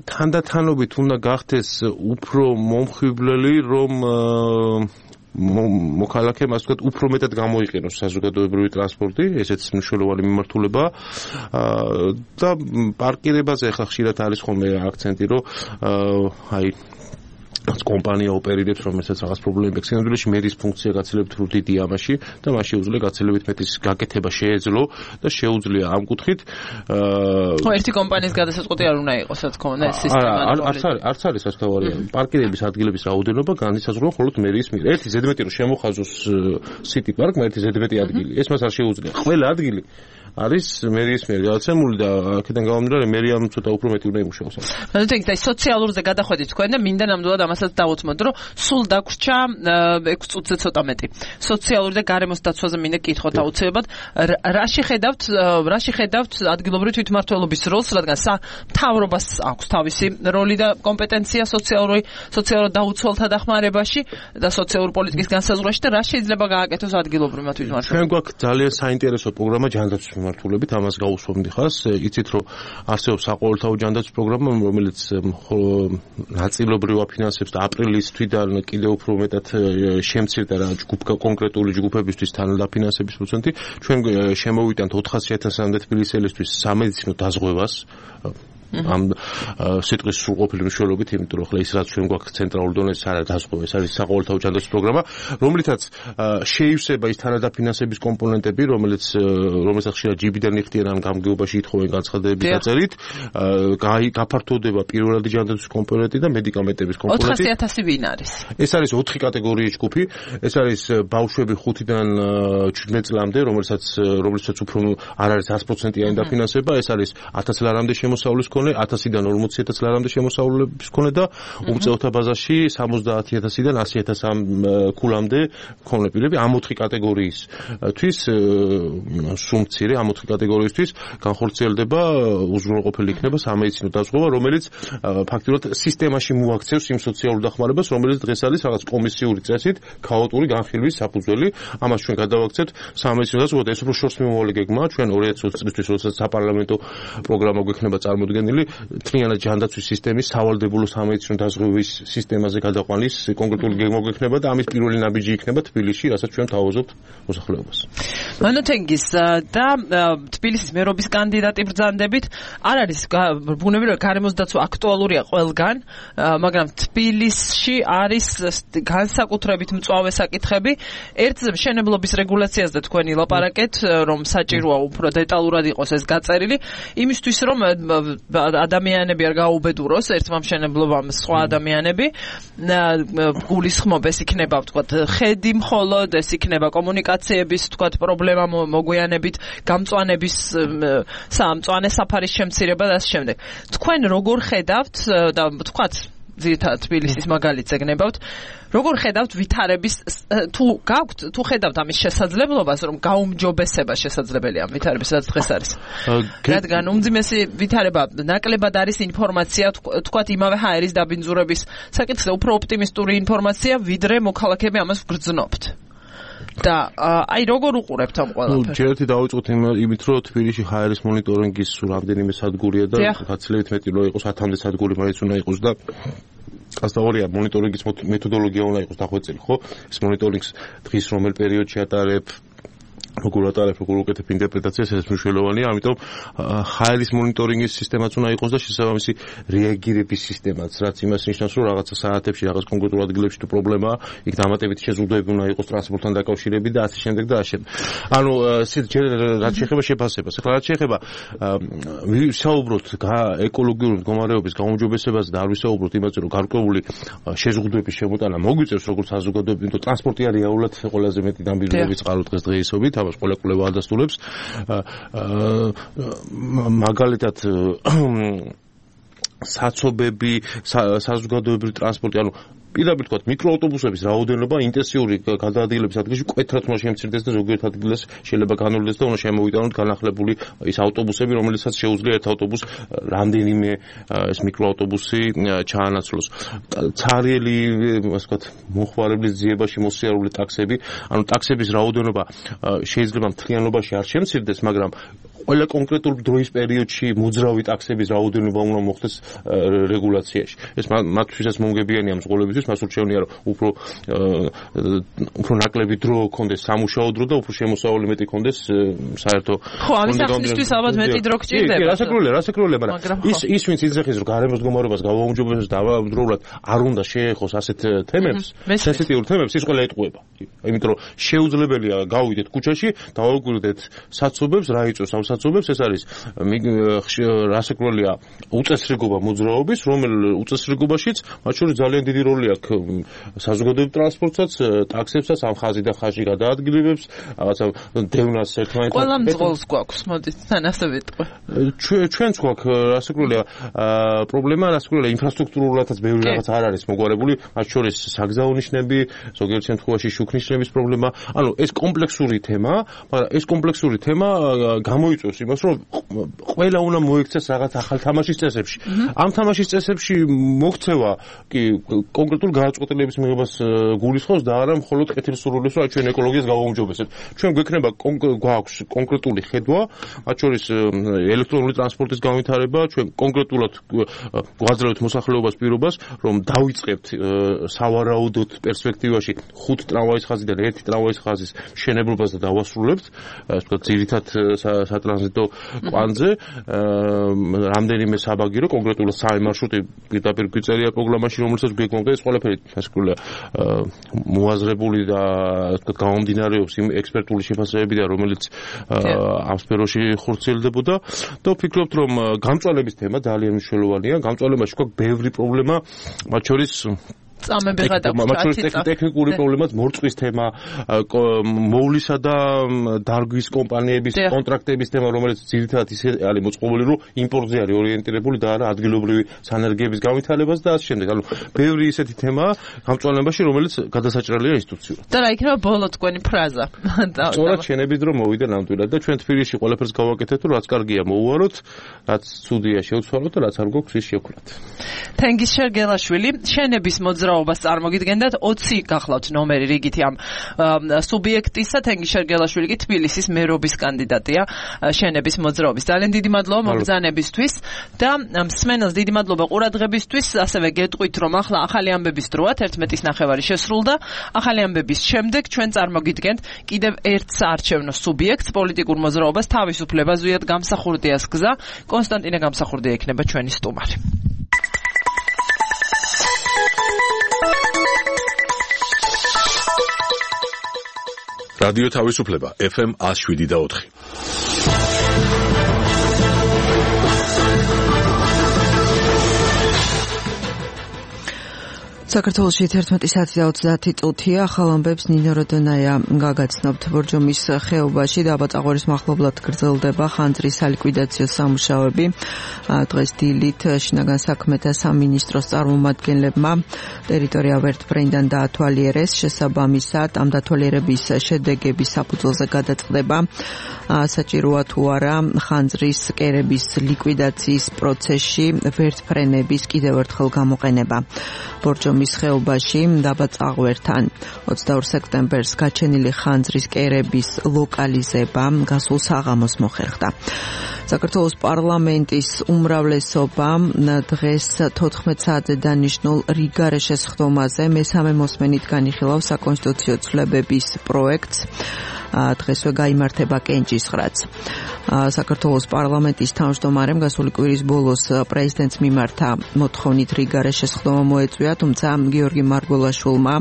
თანდათანობით უნდა გახდეს უფრო მომხიბვლელი, რომ მოქალაქემ ასე ვთქვათ, უფრო მეტად გამოიყენოს საზოგადოებრივი ტრანსპორტი, ესეც მნიშვნელოვანი მიმართულებაა. და პარკირებაზე ახლა ხშირად არის ხოლმე აქცენტი, რომ აი კომპანია ოპერირებს, რომელსაც რაღაც პრობლემები აქვს. სინამდვილეში მერის ფუნქცია გაცილებით რუდიდია ამაში და მას შეუძლია გაცილებით მეტის გაკეთება შეეძლო და შეუძლია ამ კუთხით
ერთი კომპანიის გადასაწყვეტი არ უნდა იყოს, რა თქმა უნდა, ეს სისტემა
არც არის სასწაულია. პარკირების ადგილების რაოდენობა განისაზღვრება მხოლოდ მერის მიერ. ერთი ზედმეტი რომ შემოხაზოს სიტი პარკმა ერთი ზედმეტი ადგილი. ეს მას არ შეუძლია. ყველა ადგილი არის მერის მიერ გადაცემული და აქედან გამომდინარე მერიამ ცოტა უფრო მეტი უნდა იმუშაოს.
ნუ ეს სოციალურზე გადახვედით თქვენ და მინდა ნამდვილად ამასაც დავუთმოთ, რომ სულ დაგვრჩა 6 წუთზე ცოტა მეტი. სოციალური და გარემოს დაცვაზე მინდა კითხოთ აუცილებლად. რა შეხედავთ ადგილობრივი თვითმმართველობის როლს, რადგან მთავრობას აქვს თავისი როლი და კომპეტენცია სოციალურ დაუცველთა დახმარებაში და სოციალური პოლიტიკის განსაზღვრაში და რა შეიძლება გააკეთოს ადგილობრივმა თვითმმართველობამ?
ჩვენ გვაქვს ძალიან საინტერესო პროგრამა ჯანდაცვის მიმართულებით, ამას გავუსვამდი ხას. იცით რომ არსებობს საყოველთაო ჯანდაცვის პროგრამა, რომელიც ნაწილობრივ აფინანსებს და აპრილის თვიდან კიდევ უფრო მეტად შემცირდა რა კონკრეტული ჯგუფებისთვის თანადაფინანსების პროცენტი. ჩვენ შემოვიტანთ 400,000-მდე თბილისელისთვის სამედიცინო დაზღვევას ამ სიტყვის სრულყოფილი მნიშვნელობით, იმიტომ რომ ხლა ის რაც ჩვენ გვაქვს ცენტრალურ დონეზე არა დაზღვევა, ეს არის საყოველთაო ჯანდაცვის პროგრამა, რომლითაც შეივსება ის თანადაფინანსების კომპონენტები, რომელსაც ხშირად ჯიბიდან იხდიან ან გამგეობაში ითხოვენ განცხადებების დაწერით, გაფართოვდება პირველადი ჯანდაცვის კომპონენტი და მედიკამენტების კომპონენტი.
400,000 ვინ არის?
ეს არის 4 კატეგორიის ჯგუფი. ეს არის ბავშვები 5-დან 17 წლამდე, რომელსაც უფრო არ არის 100%-იანი დაფინანსება, ეს არის 1000 ლარამდე შემოსავლის მქონე მილიონი 1000-დან 40000 ლარამდე შემოსავლების მქონე და უმწეოთა ბაზაში 70000-დან 100000 ქულამდე მქონე პირები ამ 4 კატეგორიისთვის სუმცირე ამ 4 კატეგორიისთვის განხორციელდება უზრუნველყოფილი იქნება სამედიცინო დაზღვევა, რომელიც ფაქტობრივად სისტემაში მოაქცევს იმ სოციალურ დახმარებას, რომელიც დღეს არის რაღაც კომისიური წესით ქაოტური განხილვის საფუძველი. ამას ჩვენ გადავაქცევთ სამედიცინო დაზღვევა და ეს უფრო შორს მიმავალი გეგმაა ჩვენ 2020 წლისთვის, როდესაც საპარლამენტო პროგრამა გვექნება წარმოდგენილი მთლიანად ჯანდაცვის სისტემის სავალდებულო სამედიცინო დაზღვევის სისტემაზე გადაყვანის კონკრეტული გეგმა გვექნება და ამის პირველი ნაბიჯი იქნება თბილისში, რასაც ჩვენ თავაზობთ მოსახლეობას.
მანოთენგის და თბილისის მერობის კანდიდატი ბრძანდებით არ არის ბუნებრივია გარემოს დაცვა აქტუალურია ყველგან, მაგრამ თბილისში არის განსაკუთრებით მწვავე საკითხები. ერთზე მშენებლობის რეგულაციაზე თქვენი ლაპარაკეთ, რომ საჭიროა უფრო დეტალურად იყოს ეს გაწერილი, იმისთვის რომ ადამიანები არ გაუბედუროს ერთმა მშენებლობამ სხვა ადამიანები, გულისხმობ ეს იქნება ვთქვათ ხედი მხოლოდ, ეს იქნება კომუნიკაციების ვთქვათ პრობლემა მოგვიანებით, გამწვანების მწვანე საფარის შემცირება და ამ შემდეგ. თქვენ როგორ ხედავთ და ვთქვათ ძირითადად თბილისის მაგალითზე გნებავთ, როგორ ხედავთ ვითარების თუ ხედავთ ამის შესაძლებლობას, რომ გაუმჯობესება შესაძლებელია ამ ვითარების, რაც დღეს არის. რადგან უმძიმესი ვითარება ნაკლებად არის ინფორმაცია, თქვათ იმავე ჰაერის დაბინძურების საკითხზე უფრო ოპტიმისტური ინფორმაცია, ვიდრე მოქალაქეები ამას ვგრძნობთ. და აი როგორ უყურებთ ამ ყველაფერს?
ჯერეთი დავიწყოთ იმით, რომ თბილისში ჰაერის მონიტორინგის რამდენიმე სადგურია და გაცილებით მეტი რო იყოს 1000-მდე სადგური მაინც უნდა იყოს და ასწავლია მონიტორინგის მეთოდოლოგია უნდა იყოს დახვეწილი, ხო? ეს მონიტორინგს დღის რომელ პერიოდში ატარებ, როგორ ატარებ, როგორ უკეთებ ინტერპრეტაციას, ეს მნიშვნელოვანია, ამიტომ ჰაერის მონიტორინგის სისტემაც უნდა იყოს და შესაბამისი რეაგირების სისტემაც, რაც იმას ნიშნავს, რომ რაღაცა საათებში, რაღაც კონკრეტულ ადგილებში თუ პრობლემაა, იქ დამატებითი შეზღუდვები უნდა იყოს ტრანსპორტთან დაკავშირებით და ასე შემდეგ და ასე შემდეგ. ანუ რაც შეეხება შეფასებას, ახლა რაც შეეხება ვისაუბროთ ეკოლოგიური მდგომარეობის გაუმჯობესებაზე და არ ვისაუბროთ იმაზე, რომ გარკვეული შეზღუდვების შემოტანა მოგვიწევს როგორც საზოგადოება, იმიტომ ტრანსპორტი არის რეალურად ყველაზე მეტი დამბიძურების წყარო დღესდღეობით. ამას ყველა კვლევა ადასტურებს. მაგალითად საცობები, საზოგადოებრივი ტრანსპორტი, ანუ პირდაპირ თქვათ მიკროავტობუსების რაოდენობა ინტენსიური გადაადგილების ადგილში კვეთრად უნდა შემცირდეს და ზოგიერთ ადგილას შეიძლება განვლდეს და უნდა შემოვიტანოთ განახლებული ის ავტობუსები, რომელიცაც შეუძლია ერთ ავტობუსს რამდენიმე ეს მიკროავტობუსი ჩაანაცვლოს. ცარიელი, ასე ვთქვათ, მოხმარებლის ძიებაში მოსიარული ტაქსები, ანუ ტაქსების რაოდენობა შეიძლება მთლიანობაში არ შემცირდეს, მაგრამ ყველა კონკრეტულ დროის პერიოდში მოძრავი ტაქსების რაოდენობა უნდა მოხდეს რეგულაციაში. ეს მათთვისაც მომგებიანი ამ ზღოლებისთვის, მას ურჩევნია, რომ უფრო ნაკლები დრო ქონდეს სამუშაო დრო და უფრო შემოსავალი მეტი ქონდეს საერთო.
ხო, ამის აღსნისთვის ალბათ მეტი დრო გჭირდება.
რასაკროლია, მაგრამ ის ვინც იძახის, რომ გარემოს მდგომარეობას გავაუმჯობესოს და ამავდროულად არ უნდა შეეხოს ასეთ თემებს, სენსიტიურ თემებს, ის ყველა ეტყუება. იმიტომ რომ შეუძლებელია გავიდეთ ქუჩაში, დავაგვირდეთ საცობებს, რა იწვევს ამ საცობებს, ეს არის რასაკროლია უწესრიგობა მოძრაობის, რომელ უწესრიგობაშიც მათ შორის ძალიან დიდი როლი აქვს საზოგადოებრივ ტრანსპორტსაც, ტაქსებსაც, ამ ხაზი და ხაზი გადაადგილებებს, რაღაცა დევნას ერთმანეთთან.
ყველა მძღოლს გვაქვს, მოდით თან ასე ვიტყვი.
ჩვენც გვაქვს რასაკროლია პრობლემა, რასაკროლია ინფრასტრუქტურულადაც ბევრი რაღაც არ არის მოგვარებული, მათ შორის საგზაო ნიშნები, ზოგიერთ შემთხვევაში შუქნიშნების პრობლემა. ანუ ეს კომპლექსური თემაა, მაგრამ ეს კომპლექსური თემა გამოიწვევს იმას, რომ ყველა უნდა მოიქცეს რაღაც ახალ თამაშის წესებში. ამ თამაშის წესებში მოქცევა კი კონკრეტულ გადაწყვეტილების მიღებას გულისხმობს და არა მხოლოდ კეთილსურვილებს, რომ ჩვენ ეკოლოგიას გავაუმჯობესებთ. ჩვენ გვექნება გვაქვს კონკრეტული ხედვა, მათ შორის ელექტრონული ტრანსპორტის განვითარება, ჩვენ კონკრეტულად გვაძლევთ მოსახლეობას პირობას, რომ დავიწყებთ სავარაუდოდ პერსპექტივაში 5 ტრამვაის ხაზიდან 1 ტრამვაის ხაზის მშენებლობას და დავასრულებთ, ასე ვთქვათ, ძირითად სატრანზიტო კვანძზე, რამდენიმე საბაგირო, კონკრეტულად 3 მარშრუტი პირდაპირ გვიწერია პროგრამაში, რომელსაც გვეკონდა ეს ყველაფერი ასკროლია მოაზრებული და ვთქვათ გამომდინარეობს იმ ექსპერტული შეფასებებიდან, რომელიც ამ სფეროში ხორციელდებოდა და ვფიქრობთ, რომ გამწვალების თემა ძალიან მნიშვნელოვანია. გამწვალებაში გვაქვს ბევრი პრობლემა, მათ შორის
წამები გადაგჭირდა
ტექნიკური პრობლემაც მორწვის თემა, მოვლისა და დარგვის კომპანიების კონტრაქტების თემა, რომელიც ძირითადად ისე არის მოწყობილი, რომ იმპორტზე არის ორიენტირებული და არა ადგილობრივი სანერგების განვითარებას და ასე შემდეგ. ანუ ბევრი ისეთი თემაა გამწვანებაში, რომელიც გადასაჭრელია ინსტიტუციურად.
და რა იქნება ბოლო თქვენი ფრაზა?
სწორად შენების დრო მოვიდა ნამდვილად და ჩვენ თბილისში ყველაფერს გავაკეთეთ, რომ რაც კარგია მოუვაროთ, რაც ცუდია შევცვალოთ და რაც არ გვაქვს ის შევქრათ.
თენგიზ შერგელაშვილი, შენების მოძრაობას წარმოგიდგენდათ 20 გახლავთ ნომერი რიგითი ამ სუბიექტისა. თენგიზ შერგელაშვილი კი თბილისის მერობის კანდიდატია შენების მოძრაობის. ძალიან დიდი მადლობა მოგზანებისთვის და მსმენელს დიდი მადლობა ყურადღებისთვის. ასევე გეტყვით, რომ ახლა ახალი ამბების დროა, 11:30 შესრულდა. ახალი ამბების შემდეგ ჩვენ წარმოგიდგენთ კიდევ ერთ საარჩევნო სუბიექტს, პოლიტიკურ მოძრაობას თავისუფლება ზვიად გამსახურდიას გზა. კონსტანტინე გამსახურდია იქნება ჩვენი სტუმარი.
რადიო თავისუფლება FM 107.4.
საქართველოში 11 საათი და 30 წუთია. ახალ ამბებს ნინო როდონაია გაგაცნობთ. ბორჯომის ხეობაში დაბაწაღვრის მახლობლად გრძელდება ხანძრის სალიკვიდაციო სამუშაოები. დღეს დილით შინაგან საქმეთა სამინისტროს წარმომადგენლებმა ტერიტორია ვერტბრენიდან დაათვალიერეს. შესაბამისად ამ დათვალიერების შედეგების საფუძველზე გადაწყდება საჭიროა თუ არა ხანძრის კერების ლიკვიდაციის პროცესში ვერტფრენების კიდევ ერთხელ გამოყენება. ბორჯომის ხეობაში დაბაწაღვერთან 22 სექტემბერს გაჩენილი ხანძრის კერების ლოკალიზება გასულ საღამოს მოხერხდა. საქართველოს პარლამენტის უმრავლესობამ დღეს 14 საათზე დანიშნულ რიგარე შესხდომაზე მესამე მოსმენით განიხილავს საკონსტიტუციო ცვლილებების პროექტს. დღესვე გაიმართება კენჭისყრაც. საქართველოს პარლამენტის თავმჯდომარემ გასული კვირის ბოლოს პრეზიდენტს მიმართა მოთხოვნით რიგარე შესხდომა მოეწვია, თუმცა გიორგი მარგველაშვილმა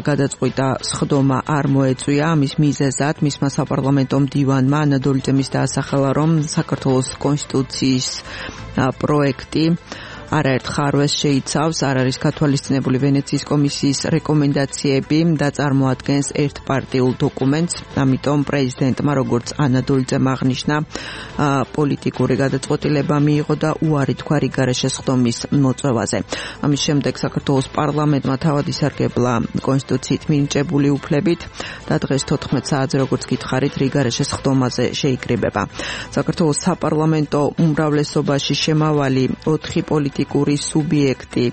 გადაწყვიტა სხდომა არ მოეწვია. ამის მიზეზად მისმა საპარლამენტო მდივანმა ანა დოლიძემის დაასახელა, რომ საქართველოს კონსტიტუციის პროექტი არაერთ ხარვეს შეიცავს, არ არის გათვალისწინებული ვენეციის კომისიის რეკომენდაციები და წარმოადგენს ერთპარტიულ დოკუმენტს. ამიტომ პრეზიდენტმა, როგორც ანა დოლიძემ აღნიშნა, პოლიტიკური გადაწყვეტილება მიიღო და უარი თქვა რიგარე შესხდომის მოწვევაზე. ამის შემდეგ საქართველოს პარლამენტმა თავად ისარგებლა კონსტიტუციით მინიჭებული უფლებით და დღეს 14 საათზე, როგორც გითხარით, რიგარე შესხდომაზე შეიკრიბება. საქართველოს საპარლამენტო უმრავლესობაში შემავალი 4 პოლიტიკური სუბიექტი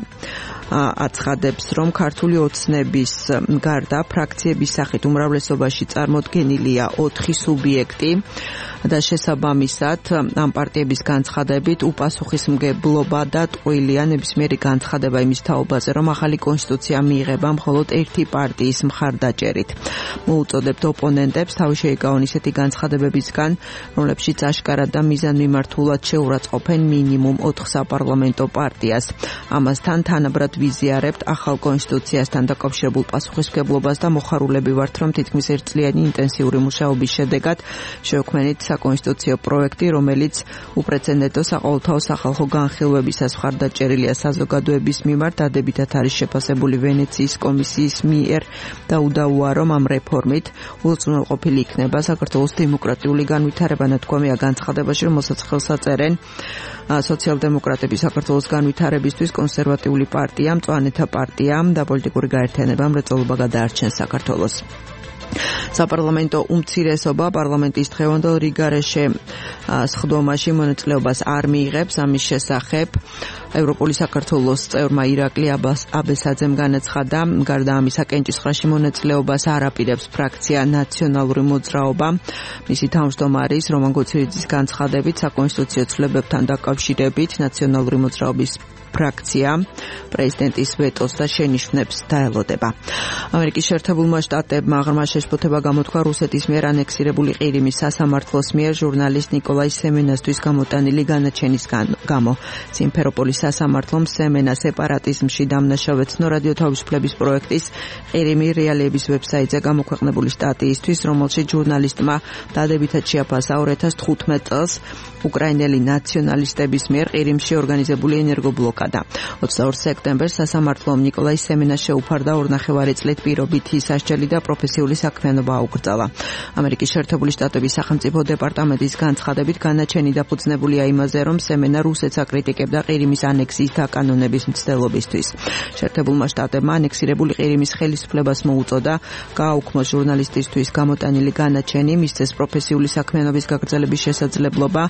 აცხადებს, რომ ქართული ოცნების გარდა ფრაქციების სახით უმრავლესობაში წარმოდგენილია 4 სუბიექტი და შესაბამისად ამ პარტიების განცხადებით უპასუხისმგებლობა და ტყუილია ნებისმიერი განცხადება იმის თაობაზე, რომ ახალი კონსტიტუცია მიიღება მხოლოდ ერთი პარტიის მხარდაჭერით. მოუწოდებთ ოპონენტებს თავი შეიკავონ ისეთი განცხადებებისგან, რომლებშიც აშკარად და მიზანმიმართულად შეურაცხყოფენ მინიმუმ 4 საპარლამენტო პარტიას. ამასთან თანაბრად ვიზიარებთ ახალ კონსტიტუციასთან დაკავშირებულ პასუხისმგებლობას და მოხარულები ვართ, რომ თითქმის ერთწლიანი ინტენსიური მუშაობის შედეგად შევქმნით საკონსტიტუციო პროექტი, რომელიც უპრეცედენტო საყოველთაო სახალხო განხილვებისას მხარდაჭერილია საზოგადოების მიმართ, დადებითად არის შეფასებული ვენეციის კომისიის მიერ და udauwa, რომ ამ რეფორმით უზრუნველყოფილი იქნება საქართველოს დემოკრატიული განვითარება. ნათქვამია განცხადებაში, რომელსაც ხელს აწერენ სოციალ-დემოკრატები საქართველოს განვითარებისთვის, კონსერვატიული პარტია, მწვანეთა პარტია და პოლიტიკური გაერთიანება მრეწველობა გადაარჩენს საქართველოს. საპარლამენტო უმცირესობა პარლამენტის დღევანდელ რიგარეშე სხდომაში მონაწილეობას არ მიიღებს. ამის შესახებ ევროპული საქართველოს წევრმა ირაკლი აბესაძემ განაცხადა, გარდა ამისა კენჭისყრაში მონაწილეობას არ აპირებს ფრაქცია ნაციონალური მოძრაობა. მისი თავმჯდომარის რომან გოცირიძის განცხადებით, საკონსტიტუციო ცვლილებებთან დაკავშირებით ნაციონალური მოძრაობის ფრაქცია პრეზიდენტის ვეტოს და შენიშვნებს დაელოდება. ამერიკის შეერთებულმა შტატებმა ღრმა შეშფოთება გამოთქვა რუსეთის მიერ ანექსირებული ყირიმის სასამართლოს მიერ ჟურნალისტ ნიკოლაი სემენასთვის გამოტანილი განაჩენის გამო. სიმფეროპოლის სასამართლომ სემენა სეპარატიზმში დამნაშავე ცნო რადიო თავისუფლების პროექტის ყირიმი რეალიების ვებსაიტზე გამოქვეყნებული სტატიისთვის, რომელშიც ჟურნალისტმა დადებითად შეაფასა 2015 წელს უკრაინელი ნაციონალისტების მიერ ყირიმში ორგანიზებული ენერგობლოკადა. აცხადა. 22 სექტემბერს სასამართლომ ნიკოლაი სემენას შეუფარდა 2.5 წლით პირობითი სასჯელი და პროფესიული საქმიანობა აუკრძალა. ამერიკის შეერთებული შტატების სახელმწიფო დეპარტამენტის განცხადებით განაჩენი დაფუძნებულია იმაზე, რომ სემენა რუსეთს აკრიტიკებდა ყირიმის ანექსიის დაკანონების მცდელობისთვის. შეერთებულმა შტატებმა ანექსირებული ყირიმის ხელისუფლებას მოუწოდა გააუქმოს ჟურნალისტისთვის გამოტანილი განაჩენი, მისცეს პროფესიული საქმიანობის გაგრძელების შესაძლებლობა.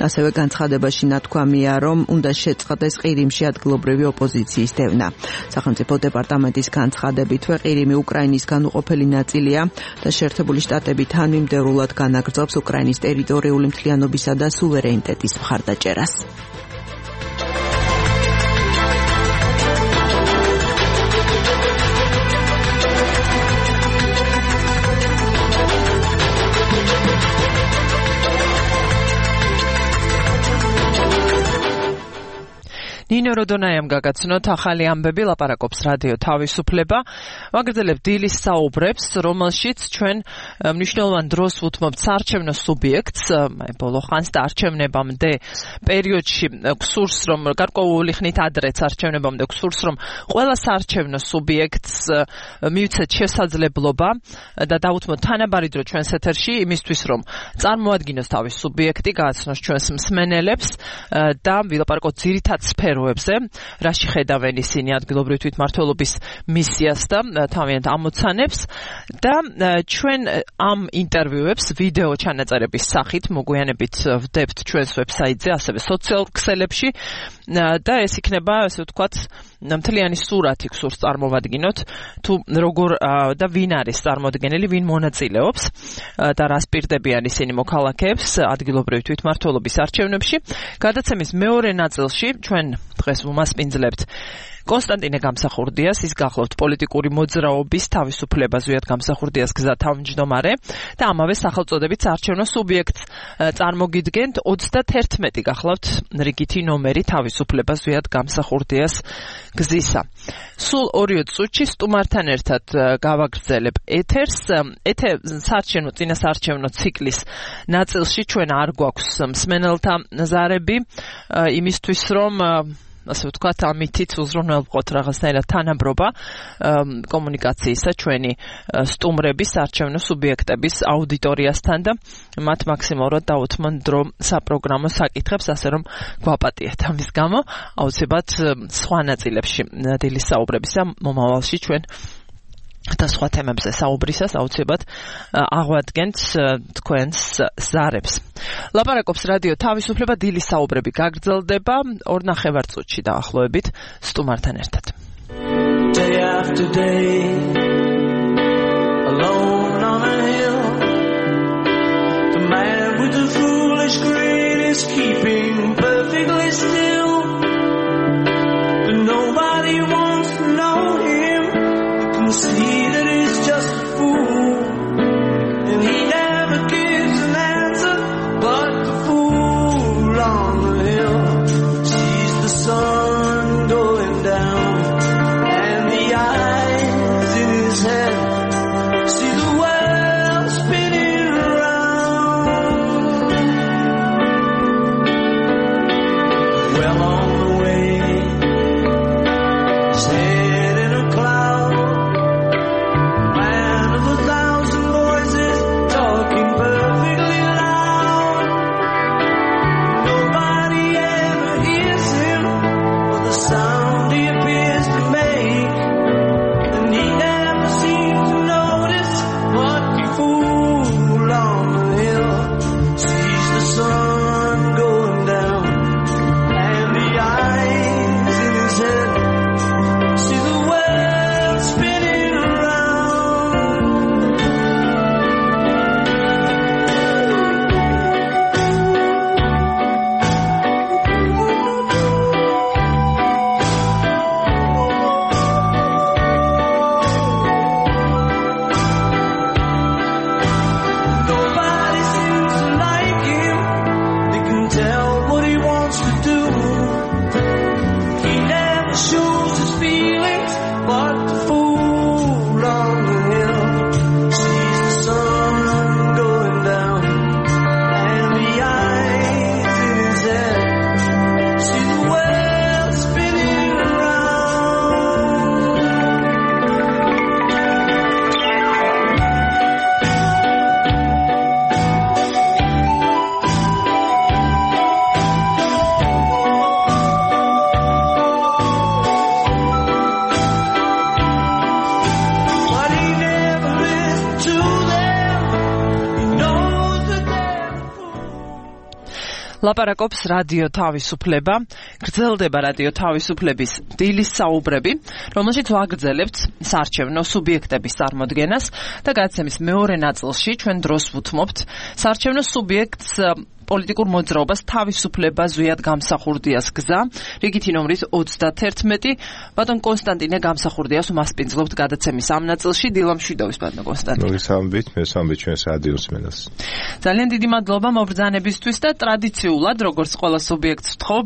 ასევე განცხადებაში ნათქვამია, რომ უნდა შეწყდეს ყირიმში ადგილობრივი ოპოზიციის დევნა. სახელმწიფო დეპარტამენტის განცხადებითვე ყირიმი უკრაინის განუყოფელი ნაწილია და შეერთებული შტატები თანმიმდევრულად განაგრძობს უკრაინის ტერიტორიული მთლიანობისა და სუვერენიტეტის მხარდაჭერას.
ნინო როდონაიამ გაგაცნოთ ახალი ამბები, ლაპარაკობს რადიო თავისუფლება. ვაგრძელებ დილის საუბრებს, რომელშიც ჩვენ მნიშვნელოვან დროს ვუთმობთ საარჩევნო სუბიექტს, ბოლო ხანს და არჩევნებამდე პერიოდში გსურს, რომ გარკვეული ხნით ადრეც არჩევნებამდე გსურს, რომ ყველა საარჩევნო სუბიექტს მივცეთ შესაძლებლობა და დავუთმოთ თანაბარი დრო ჩვენს ეთერში იმისთვის, რომ წარმოადგინოს თავის სუბიექტი, გააცნოს ჩვენს მსმენელებს და ვილაპარაკოთ ძირითად სფეროებზე, რაში ხედავენ ისინი ადგილობრივი თვითმმართველობის მისიას და თავიანთ ამოცანებს და ჩვენ ამ ინტერვიუებს ვიდეო ჩანაწერების სახით მოგვიანებით ვდებთ ჩვენს ვებსაიტზე, ასევე სოციალურ ქსელებში და ეს იქნება, ასე ვთქვათ, მთლიანი სურათი გსურს წარმოვადგინოთ, თუ როგორ და ვინ არის წარმოადგენელი, ვინ მონაწილეობს და რას პირდებიან ისინი მოქალაქეებს ადგილობრივი თვითმმართველობის არჩევნებში. გადაცემის მეორე ნაწილში ჩვენ დღეს ვუმასპინძლებთ კონსტანტინე გამსახურდიას, ის გახლავთ პოლიტიკური მოძრაობის თავისუფლება ზვიად გამსახურდიას გზა თავმჯდომარე და ამავე სახელწოდებით საარჩევნო სუბიექტს წარმოგიდგენთ 31 გახლავთ რიგითი ნომერი თავისუფლება ზვიად გამსახურდიას გზისა. სულ 2 წუთში სტუმართან ერთად გავაგრძელებ ეთერს. საარჩევნო წინა საარჩევნო ციკლის ნაწილში ჩვენ არ გვაქვს მსმენელთა ზარები იმისთვის, რომ ასე ვთქვათ, ამითიც უზრუნველყოთ რაღაცნაირად თანაბრობა კომუნიკაციისა ჩვენი სტუმრების, საარჩევნო სუბიექტების აუდიტორიასთან და მათ მაქსიმალურად დაუთმონ დრო საპროგრამო საკითხებს, ასე რომ გვაპატიეთ ამის გამო. აუცილებლად სხვა ნაწილებში დილის საუბრებისა მომავალში ჩვენ და სხვა თემებზე საუბრისას აუცილებლად აღვადგენთ თქვენს ზარებს. ლაპარაკობს რადიო თავისუფლება, დილის საუბრები გაგრძელდება 2.5 წუთში დაახლოებით სტუმართან ერთად. Day after day, alone on a hill, the man with the foolish grin is keeping perfectly still, but nobody wants to know him. See that he's just a fool, and he never gives an answer, but the fool on the hill sees the sun going down, and the eyes in ლაპარაკობს რადიო თავისუფლება, გრძელდება რადიო თავისუფლების დილის საუბრები, რომელშიც ვაგრძელებთ საარჩევნო სუბიექტების წარმოდგენას და გადაცემის მეორე ნაწილში ჩვენ დროს ვუთმობთ საარჩევნო სუბიექტს პოლიტიკურ მოძრაობას თავისუფლება ზვიად გამსახურდიას გზა, რიგითი ნომრით 31. ბატონ კონსტანტინე გამსახურდიას უმასპინძლობთ გადაცემის ამ ნაწილში. დილა მშვიდობის ბატონ კონსტანტინე.
მოგესალმებით, მე სამბეთ ჩვენს რადიოს მენას.
ძალიან დიდი მადლობა მობრძანებისთვის და ტრადიციულად, როგორც ყველა სუბიექტს ვთხოვ,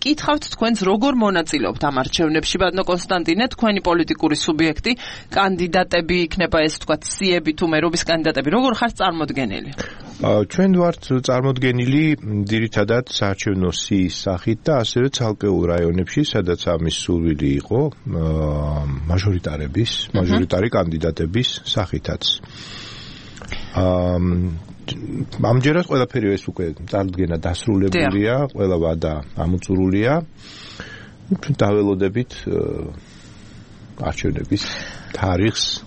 კითხავთ თქვენს როგორ მონაწილეობთ ამ არჩევნებში, ბატონ კონსტანტინე, თქვენი პოლიტიკური სუბიექტი, კანდიდატები იქნება ეს თქვა სიები თუ მერობის კანდიდატები, როგორ ხართ წარმოდგენილი?
ჩვენ ვართ წარმოდგენილი ძირითადად საარჩევნო სიის სახით და ასევე ცალკეულ რაიონებში, სადაც ამის სურვილი იყო, მაჟორიტარი კანდიდატების სახითაც. ამჯერად ყველაფერი ეს უკვე წარდგენა დასრულებულია, ყველა ვადა ამოწურულია. ჩვენ დაველოდებით არჩევნების თარიღს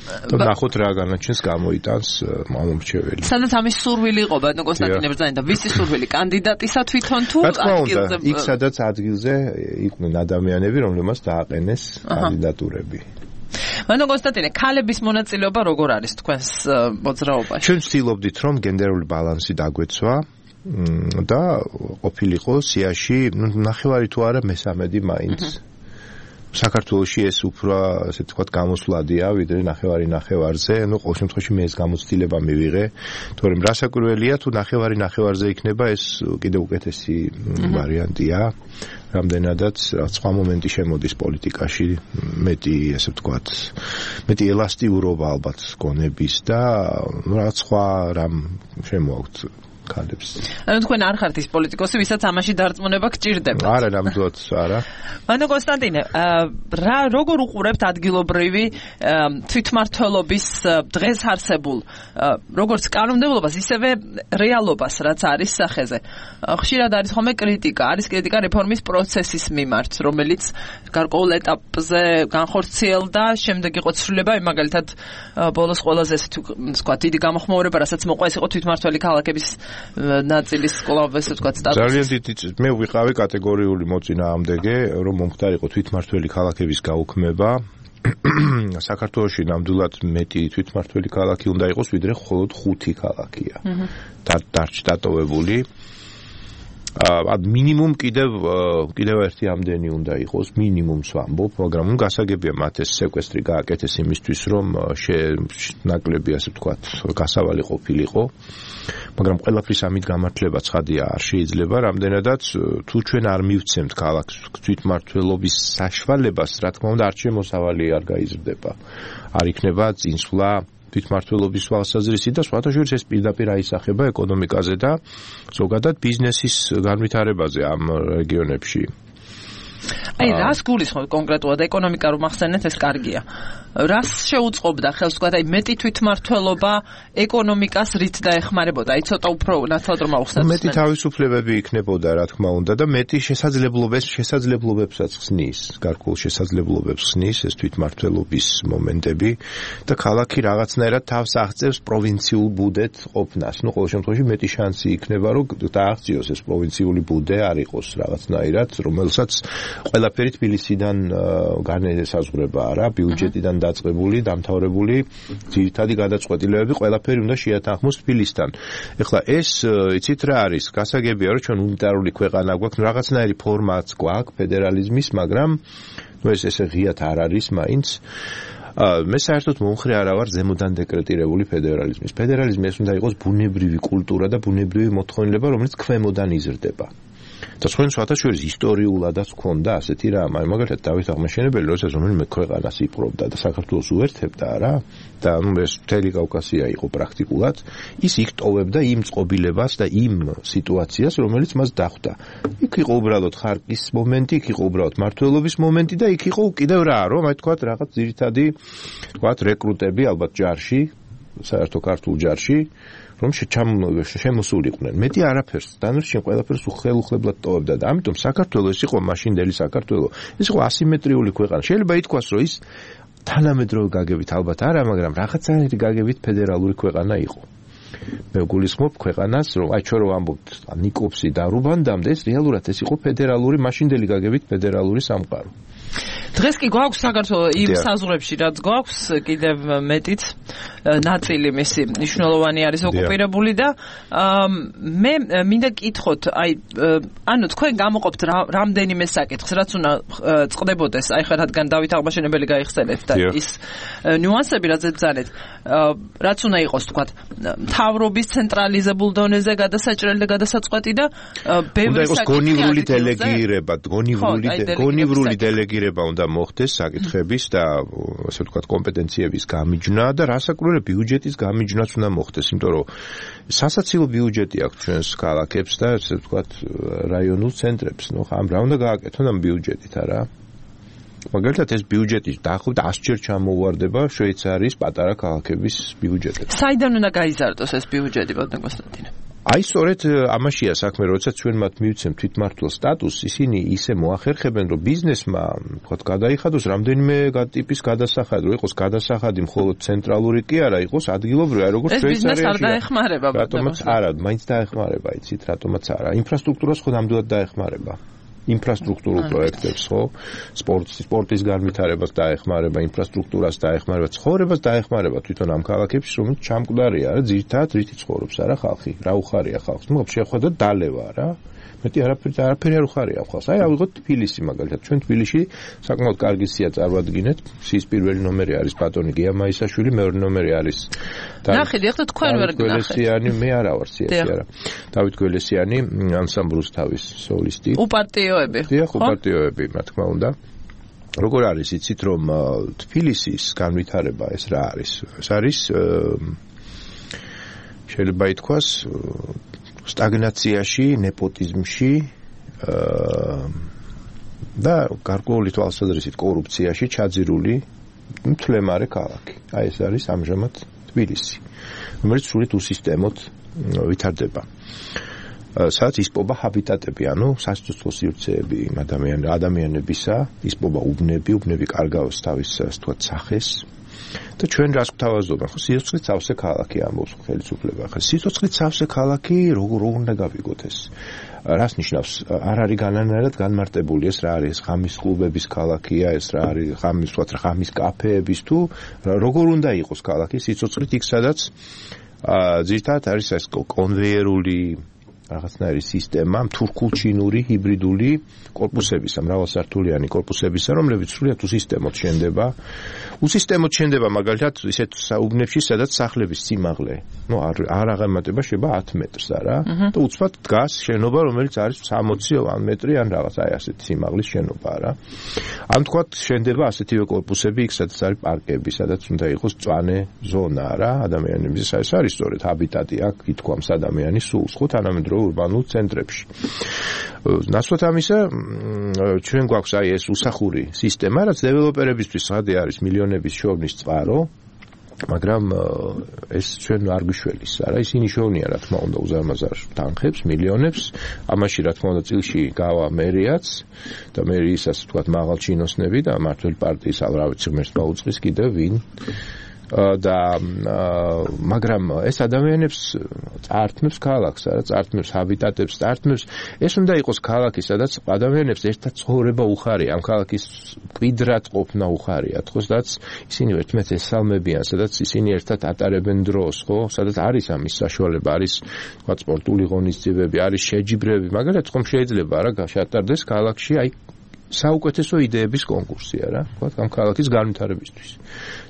და ნახოთ რა განაჩენს გამოიტანს მომრჩეველი.
სადაც ამის სურვილი იყო ბატონ კონსტანტინე ბრძანა და ვისი სურვილი კანდიდატისა თვითონ თუ
ადგილზე? იქ სადაც ადგილზე იყვნენ ადამიანები, რომლებმაც დააყენეს კანდიდატურები.
ბატონ კონსტანტინე, ქალების მონაწილეობა როგორ არის თქვენს მოძრაობაში?
ჩვენ ვცდილობდით, რომ გენდერული ბალანსი დაგვეცვა და ყოფილიყო სიაში, ნახევარი თუ არა მესამედი მაინც. საქართველოში ეს უფრო ასე ვთქვათ გამოსვლადია, ვიდრე ნახევარზე, ყოველ შემთხვევაში მე ეს გამოცდილება მივიღე, თორემ რასაკვირველია თუ ნახევარზე იქნება, ეს კიდევ უკეთესი ვარიანტია. რამდენადაც სხვა მომენტი შემოდის პოლიტიკაში, მეტი ასე ვთქვათ, მეტი ელასტიურობა ალბათ გონების და რაღაც სხვა რამ შემოაქვთ ქალებს.
ანუ თქვენ არ ხართ ის პოლიტიკოსი, ვისაც ამაში დარწმუნება გჭირდება.
არა, ნამდვილად არა.
ბატონ კონსტანტინე, როგორ უყურებთ ადგილობრივი თვითმმართველობის დღეს არსებულ როგორც კანონმდებლობას, ისევე რეალობას, რაც არის სახეზე. ხშირად არის ხოლმე კრიტიკა, არის კრიტიკა რეფორმის პროცესის მიმართ, რომელიც გარკვეულ ეტაპზე განხორციელდა, შემდეგ იყო ცვლილება, მაგალითად ბოლოს ყველაზე ესე ვთქვათ, დიდი გამოხმაურება, რასაც მოყვა, ეს იყო თვითმმართველი ქალაქების ნაწილის კვლავ ესე ვთქვათ სტატუსი.
ძალიან დიდი მე ვიყავი კატეგორიული მოწინააღმდეგე, რომ მომხდარიყო თვითმმართველი ქალაქების გაუქმება. საქართველოში ნამდვილად მეტი თვითმმართველი ქალაქი უნდა იყოს, ვიდრე მხოლოდ 5 ქალაქია. დატოვებული. მინიმუმ კიდევ ერთი ამდენი უნდა იყოს, მინიმუმს ვამბობ, მაგრამ გასაგებია მათ ეს სეკვესტრი გააკეთეს იმისთვის, რომ ნაკლები ასე ვთქვათ, გასავალი ყოფილიყო. მაგრამ ყველაფრის ამით გამართლება ცხადია არ შეიძლება, რამდენადაც თუ ჩვენ არ მივცემთ ქალაქს თვითმმართველობის საშუალებას, რა თქმა უნდა, არჩევნო მოსავალი არ გაიზრდება. არ იქნება წინსვლა თვითმმართველობის თვალსაზრისით და სხვათა შორის ეს პირდაპირ აისახება ეკონომიკაზე და ზოგადად ბიზნესის განვითარებაზე ამ რეგიონებში.
აი, რას გულისხმობთ კონკრეტულად ეკონომიკა რომ ახსენეთ, ეს კარგია. რას შეუწყობდა ხელს თქვა, აი მეტი თვითმმართველობა ეკონომიკას რით დაეხმარებოდა? აი ცოტა უფრო ნათლად რომ ავხსნათ.
მეტი თავისუფლებები იქნებოდა, რა თქმა უნდა, და მეტი შესაძლებლობებსაც ხსნის, გარკვეულ შესაძლებლობებს ხსნის ეს თვითმმართველობის მომენტები და ქალაქი რაღაცნაირად თავს აღწევს პროვინციულ ბუდეთ ყოფნას. ნუ ყოველ შემთხვევაში მეტი შანსი იქნება, რომ დააღწიოს ეს პროვინციული ბუდე არ იყოს რაღაცნაირად, რომელსაც ყველაფერი თბილისიდან განესაზღვრება რა, ბიუჯეტიდან დაწყებული, დამთავრებული ძირითადი გადაწყვეტილებები ყველაფერი უნდა შეათანხმოს თბილისთან. ეხლა ეს იცით რა არის? გასაგებია რომ ჩვენ უნიტარული ქვეყანა გვაქვს, რაღაცნაირი ფორმაც გვაქვს ფედერალიზმის, მაგრამ ეს ესე ღიად არ არის მაინც. მე საერთოდ მომხრე არა ვარ ზემოდან დეკრეტირებული ფედერალიზმის. ფედერალიზმი ეს უნდა იყოს ბუნებრივი კულტურა და ბუნებრივი მოთხოვნილება, რომელიც ქვემოდან იზრდება. და სხვენ სხვათა შორის ისტორიულადაც ჰქონდა ასეთი რამ, მაგალითად დავით აღმაშენებელი, როდესაც რომელიმე ქვეყანას იპყრობდა და საქართველოს უერთებდა რა, და ეს მთელი კავკასია იყო პრაქტიკულად, ის იქ ტოვებდა იმ წყობილებას და იმ სიტუაციას, რომელიც მას დახვდა. იქ იყო უბრალოდ ხარკის მომენტი, იქ იყო უბრალოდ მმართველობის მომენტი და იქ იყო კიდევ რა, რომ აი თქვათ რაღაც ძირითადი თქვათ რეკრუტები ალბათ ჯარში, საერთო ქართულ ჯარში, რომ შემოსულიყვნენ. მეტი არაფერს, დანარჩენ ყველაფერს უხელუხლებლად ტოვებდა და ამიტომ საქართველოს ის იყო მაშინდელი საქართველო. ეს იყო ასიმეტრიული ქვეყანა. შეიძლება ითქვას, რომ ის თანამედროვე გაგებით ალბათ არა, მაგრამ რაღაცნაირი გაგებით ფედერალური ქვეყანა იყო. მე გულისხმობ ქვეყანას, რომ აი ჩვენ რო ამბობთ ნიკოპსი და რუბანდამდე ეს რეალურად ეს იყო ფედერალური მაშინდელი გაგებით ფედერალური სამყარო.
დღეს კი გვაქვს საქართველოს იმ საზღვრებში რაც გვაქვს კიდევ მეტიც ნაწილი მისი მნიშვნელოვანი არის ოკუპირებული და მე მინდა გითხოთ აი ანუ თქვენ გამოყოფთ რამდენიმე საკითხს რაც უნდა წყდებოდეს აი ხა რადგან დავით აღმაშენებელი გაიხსენეთ და ის ნიუანსები რაც ებრძანეთ რაც უნდა იყოს თქვათ მთავრობის ცენტრალიზებულ დონეზე გადასაჭრელი და გადასაწყვეტი და ბევრი
საკითხი გონივრული დელეგირება გონივრული დელეგირება უნდა მოხდეს საკითხების და ასე ვთქვათ კომპეტენციების გამიჯნა და რასაკვირველია ბიუჯეტის გამიჯნაც უნდა მოხდეს, იმიტომ რომ სასაცილო ბიუჯეტი აქვს ჩვენს ქალაქებს და ასე ვთქვათ რაიონულ ცენტრებს. ნუ ამ რა უნდა გააკეთონ ამ ბიუჯეტით არა? მაგალითად ეს ბიუჯეტი დაახლოებით 100-ჯერ ჩამოუვარდება შვეიცარიის პატარა ქალაქების ბიუჯეტებს.
საიდან უნდა გაიზარდოს ეს ბიუჯეტი, ბატონო კონსტანტინე?
აი სწორედ ამაშია საქმე, როდესაც ჩვენ მათ მივცემთ თვითმმართველ სტატუსს, ისინი ისე მოახერხებენ, რომ ბიზნესმა, თქვათ, გადაიხადოს რამდენიმე ტიპის გადასახადი, რომ იყოს გადასახადი მხოლოდ ცენტრალური კი არა, იყოს ადგილობრივი, აი როგორც შვეიცარიაში. ეს ბიზნეს არ
დაეხმარება,
რატომაც არა, მაინც დაეხმარება, იცით, რატომაც არა. ინფრასტრუქტურას ხო ნამდვილად დაეხმარება. ინფრასტრუქტურულ პროექტებს, ხო? სპორტის განვითარებას დაეხმარება, ინფრასტრუქტურას დაეხმარება, ცხოვრებას დაეხმარება თვითონ ამ ქალაქებში, რომელიც ჩამკვდარია, რა, ძირითადად რითი ცხოვრობს, არა ხალხი, რა უხარია ხალხს. ნუ შეხვედრა დალევა რა. მეტი არაფერი არ უხარია ხალხს. აი ავიღოთ თბილისი მაგალითად. ჩვენ თბილისში საკმაოდ კარგი სია წარვადგინეთ. სიის პირველი ნომერი არის ბატონი გია მაისაშვილი, მეორე ნომერი არის
ნახეთ, ეხლა თქვენ ვერ გნახეთ.
მე არა ვარ სიასი არა. დავით გველესიანი ანსამბლუს თავის სოლისტი.
უპარტიოები.
დიახ, უპარტიოები, რა თქმა უნდა. როგორ არის იცით რომ თბილისის განვითარება ეს რა არის? ეს არის შეიძლება ითქვას სტაგნაციაში, ნეპოტიზმში და გარკვეული თვალსაზრისით კორუფციაში ჩაძირული მთლემარე ქალაქი. აი ეს არის ამჟამად თბილისი, რომელიც სრულად უსისტემოდ ვითარდება. სადაც ისპობა ჰაბიტატები, ანუ სასიცოცხლო სივრცეები ადამიანებისა, ისპობა უბნები კარგავს თავის თქვათ სახეს. და ჩვენ რას გვთავაზობენ? ხო, სიცოცხლით სავსე ქალაქი ამბობს ხელისუფლება. ხო, სიცოცხლით სავსე ქალაქი როგორ უნდა გავიგოთ ეს? რას ნიშნავს? არ არის განანაირად განმარტებული ეს რა არის? ხამის კლუბების ქალაქია, ეს რა არის? ხამის კაფეების თუ როგორ უნდა იყოს ქალაქი სიცოცხლით იქ სადაც ძირითადად არის ეს კონვეიერული რაღაცნაირი სისტემა, თურქულ-ჩინური ჰიბრიდული კორპუსებისა, მრავალსართულიანი კორპუსებისა, რომლებიც სრულად უსისტემოდ შენდება მაგალითად ისეთ საუბნებში, სადაც სახლების სიმაღლე, არ აღემატება შეიძლება 10 მეტრს არა, და უცბად დგას შენობა, რომელიც არის 60 მეტრი ან რაღაც აი ასეთი სიმაღლის შენობა რა. ან თქვათ შენდება ასეთივე კორპუსები იქ, სადაც არის პარკები, სადაც უნდა იყოს მწვანე ზონა რა, ადამიანების ეს არის სწორედ ჰაბიტატი აქ ითქვამს ადამიანის სულს, ხო, თანამედროვე ურბანულ ცენტრებში. ნაცვლად ამისა, ჩვენ გვაქვს აი ეს უსახური სისტემა, რაც დეველოპერებისთვის ხადი არის მილიონების შოვნის წყარო, მაგრამ ეს ჩვენ არ გვიშველის, არა, ისინი შოვნია, რა თქმა უნდა, უზარმაზარ თანხებს, მილიონებს, ამაში რა თქმა უნდა წილში გავა მერიაც და მერიის ასე ვთქვათ მაღალჩინოსნები და მართლ პარტიის რა ვიცი ღმერთს მოუწყის კიდევ ვინ და მაგრამ ეს ადამიანებს წართმევს ქალაქს, არა, წართმევს ჰაბიტატებს, წართმევს ეს უნდა იყოს ქალაქი, სადაც ადამიანებს ერთად ცხოვრება უხარია, ამ ქალაქის მკვიდრად ყოფნა უხარია, ხო, სადაც ისინი ერთმანეთს ესალმებიან, სადაც ისინი ერთად ატარებენ დროს, ხო, სადაც არის ამის საშუალება, არის თქვა სპორტული ღონისძიებები, არის შეჯიბრები, მაგალითად ხომ შეიძლება რა გაშატარდეს ქალაქში აი საუკეთესო იდეების კონკურსია რა, თქვა ამ ქალაქის განვითარებისთვის.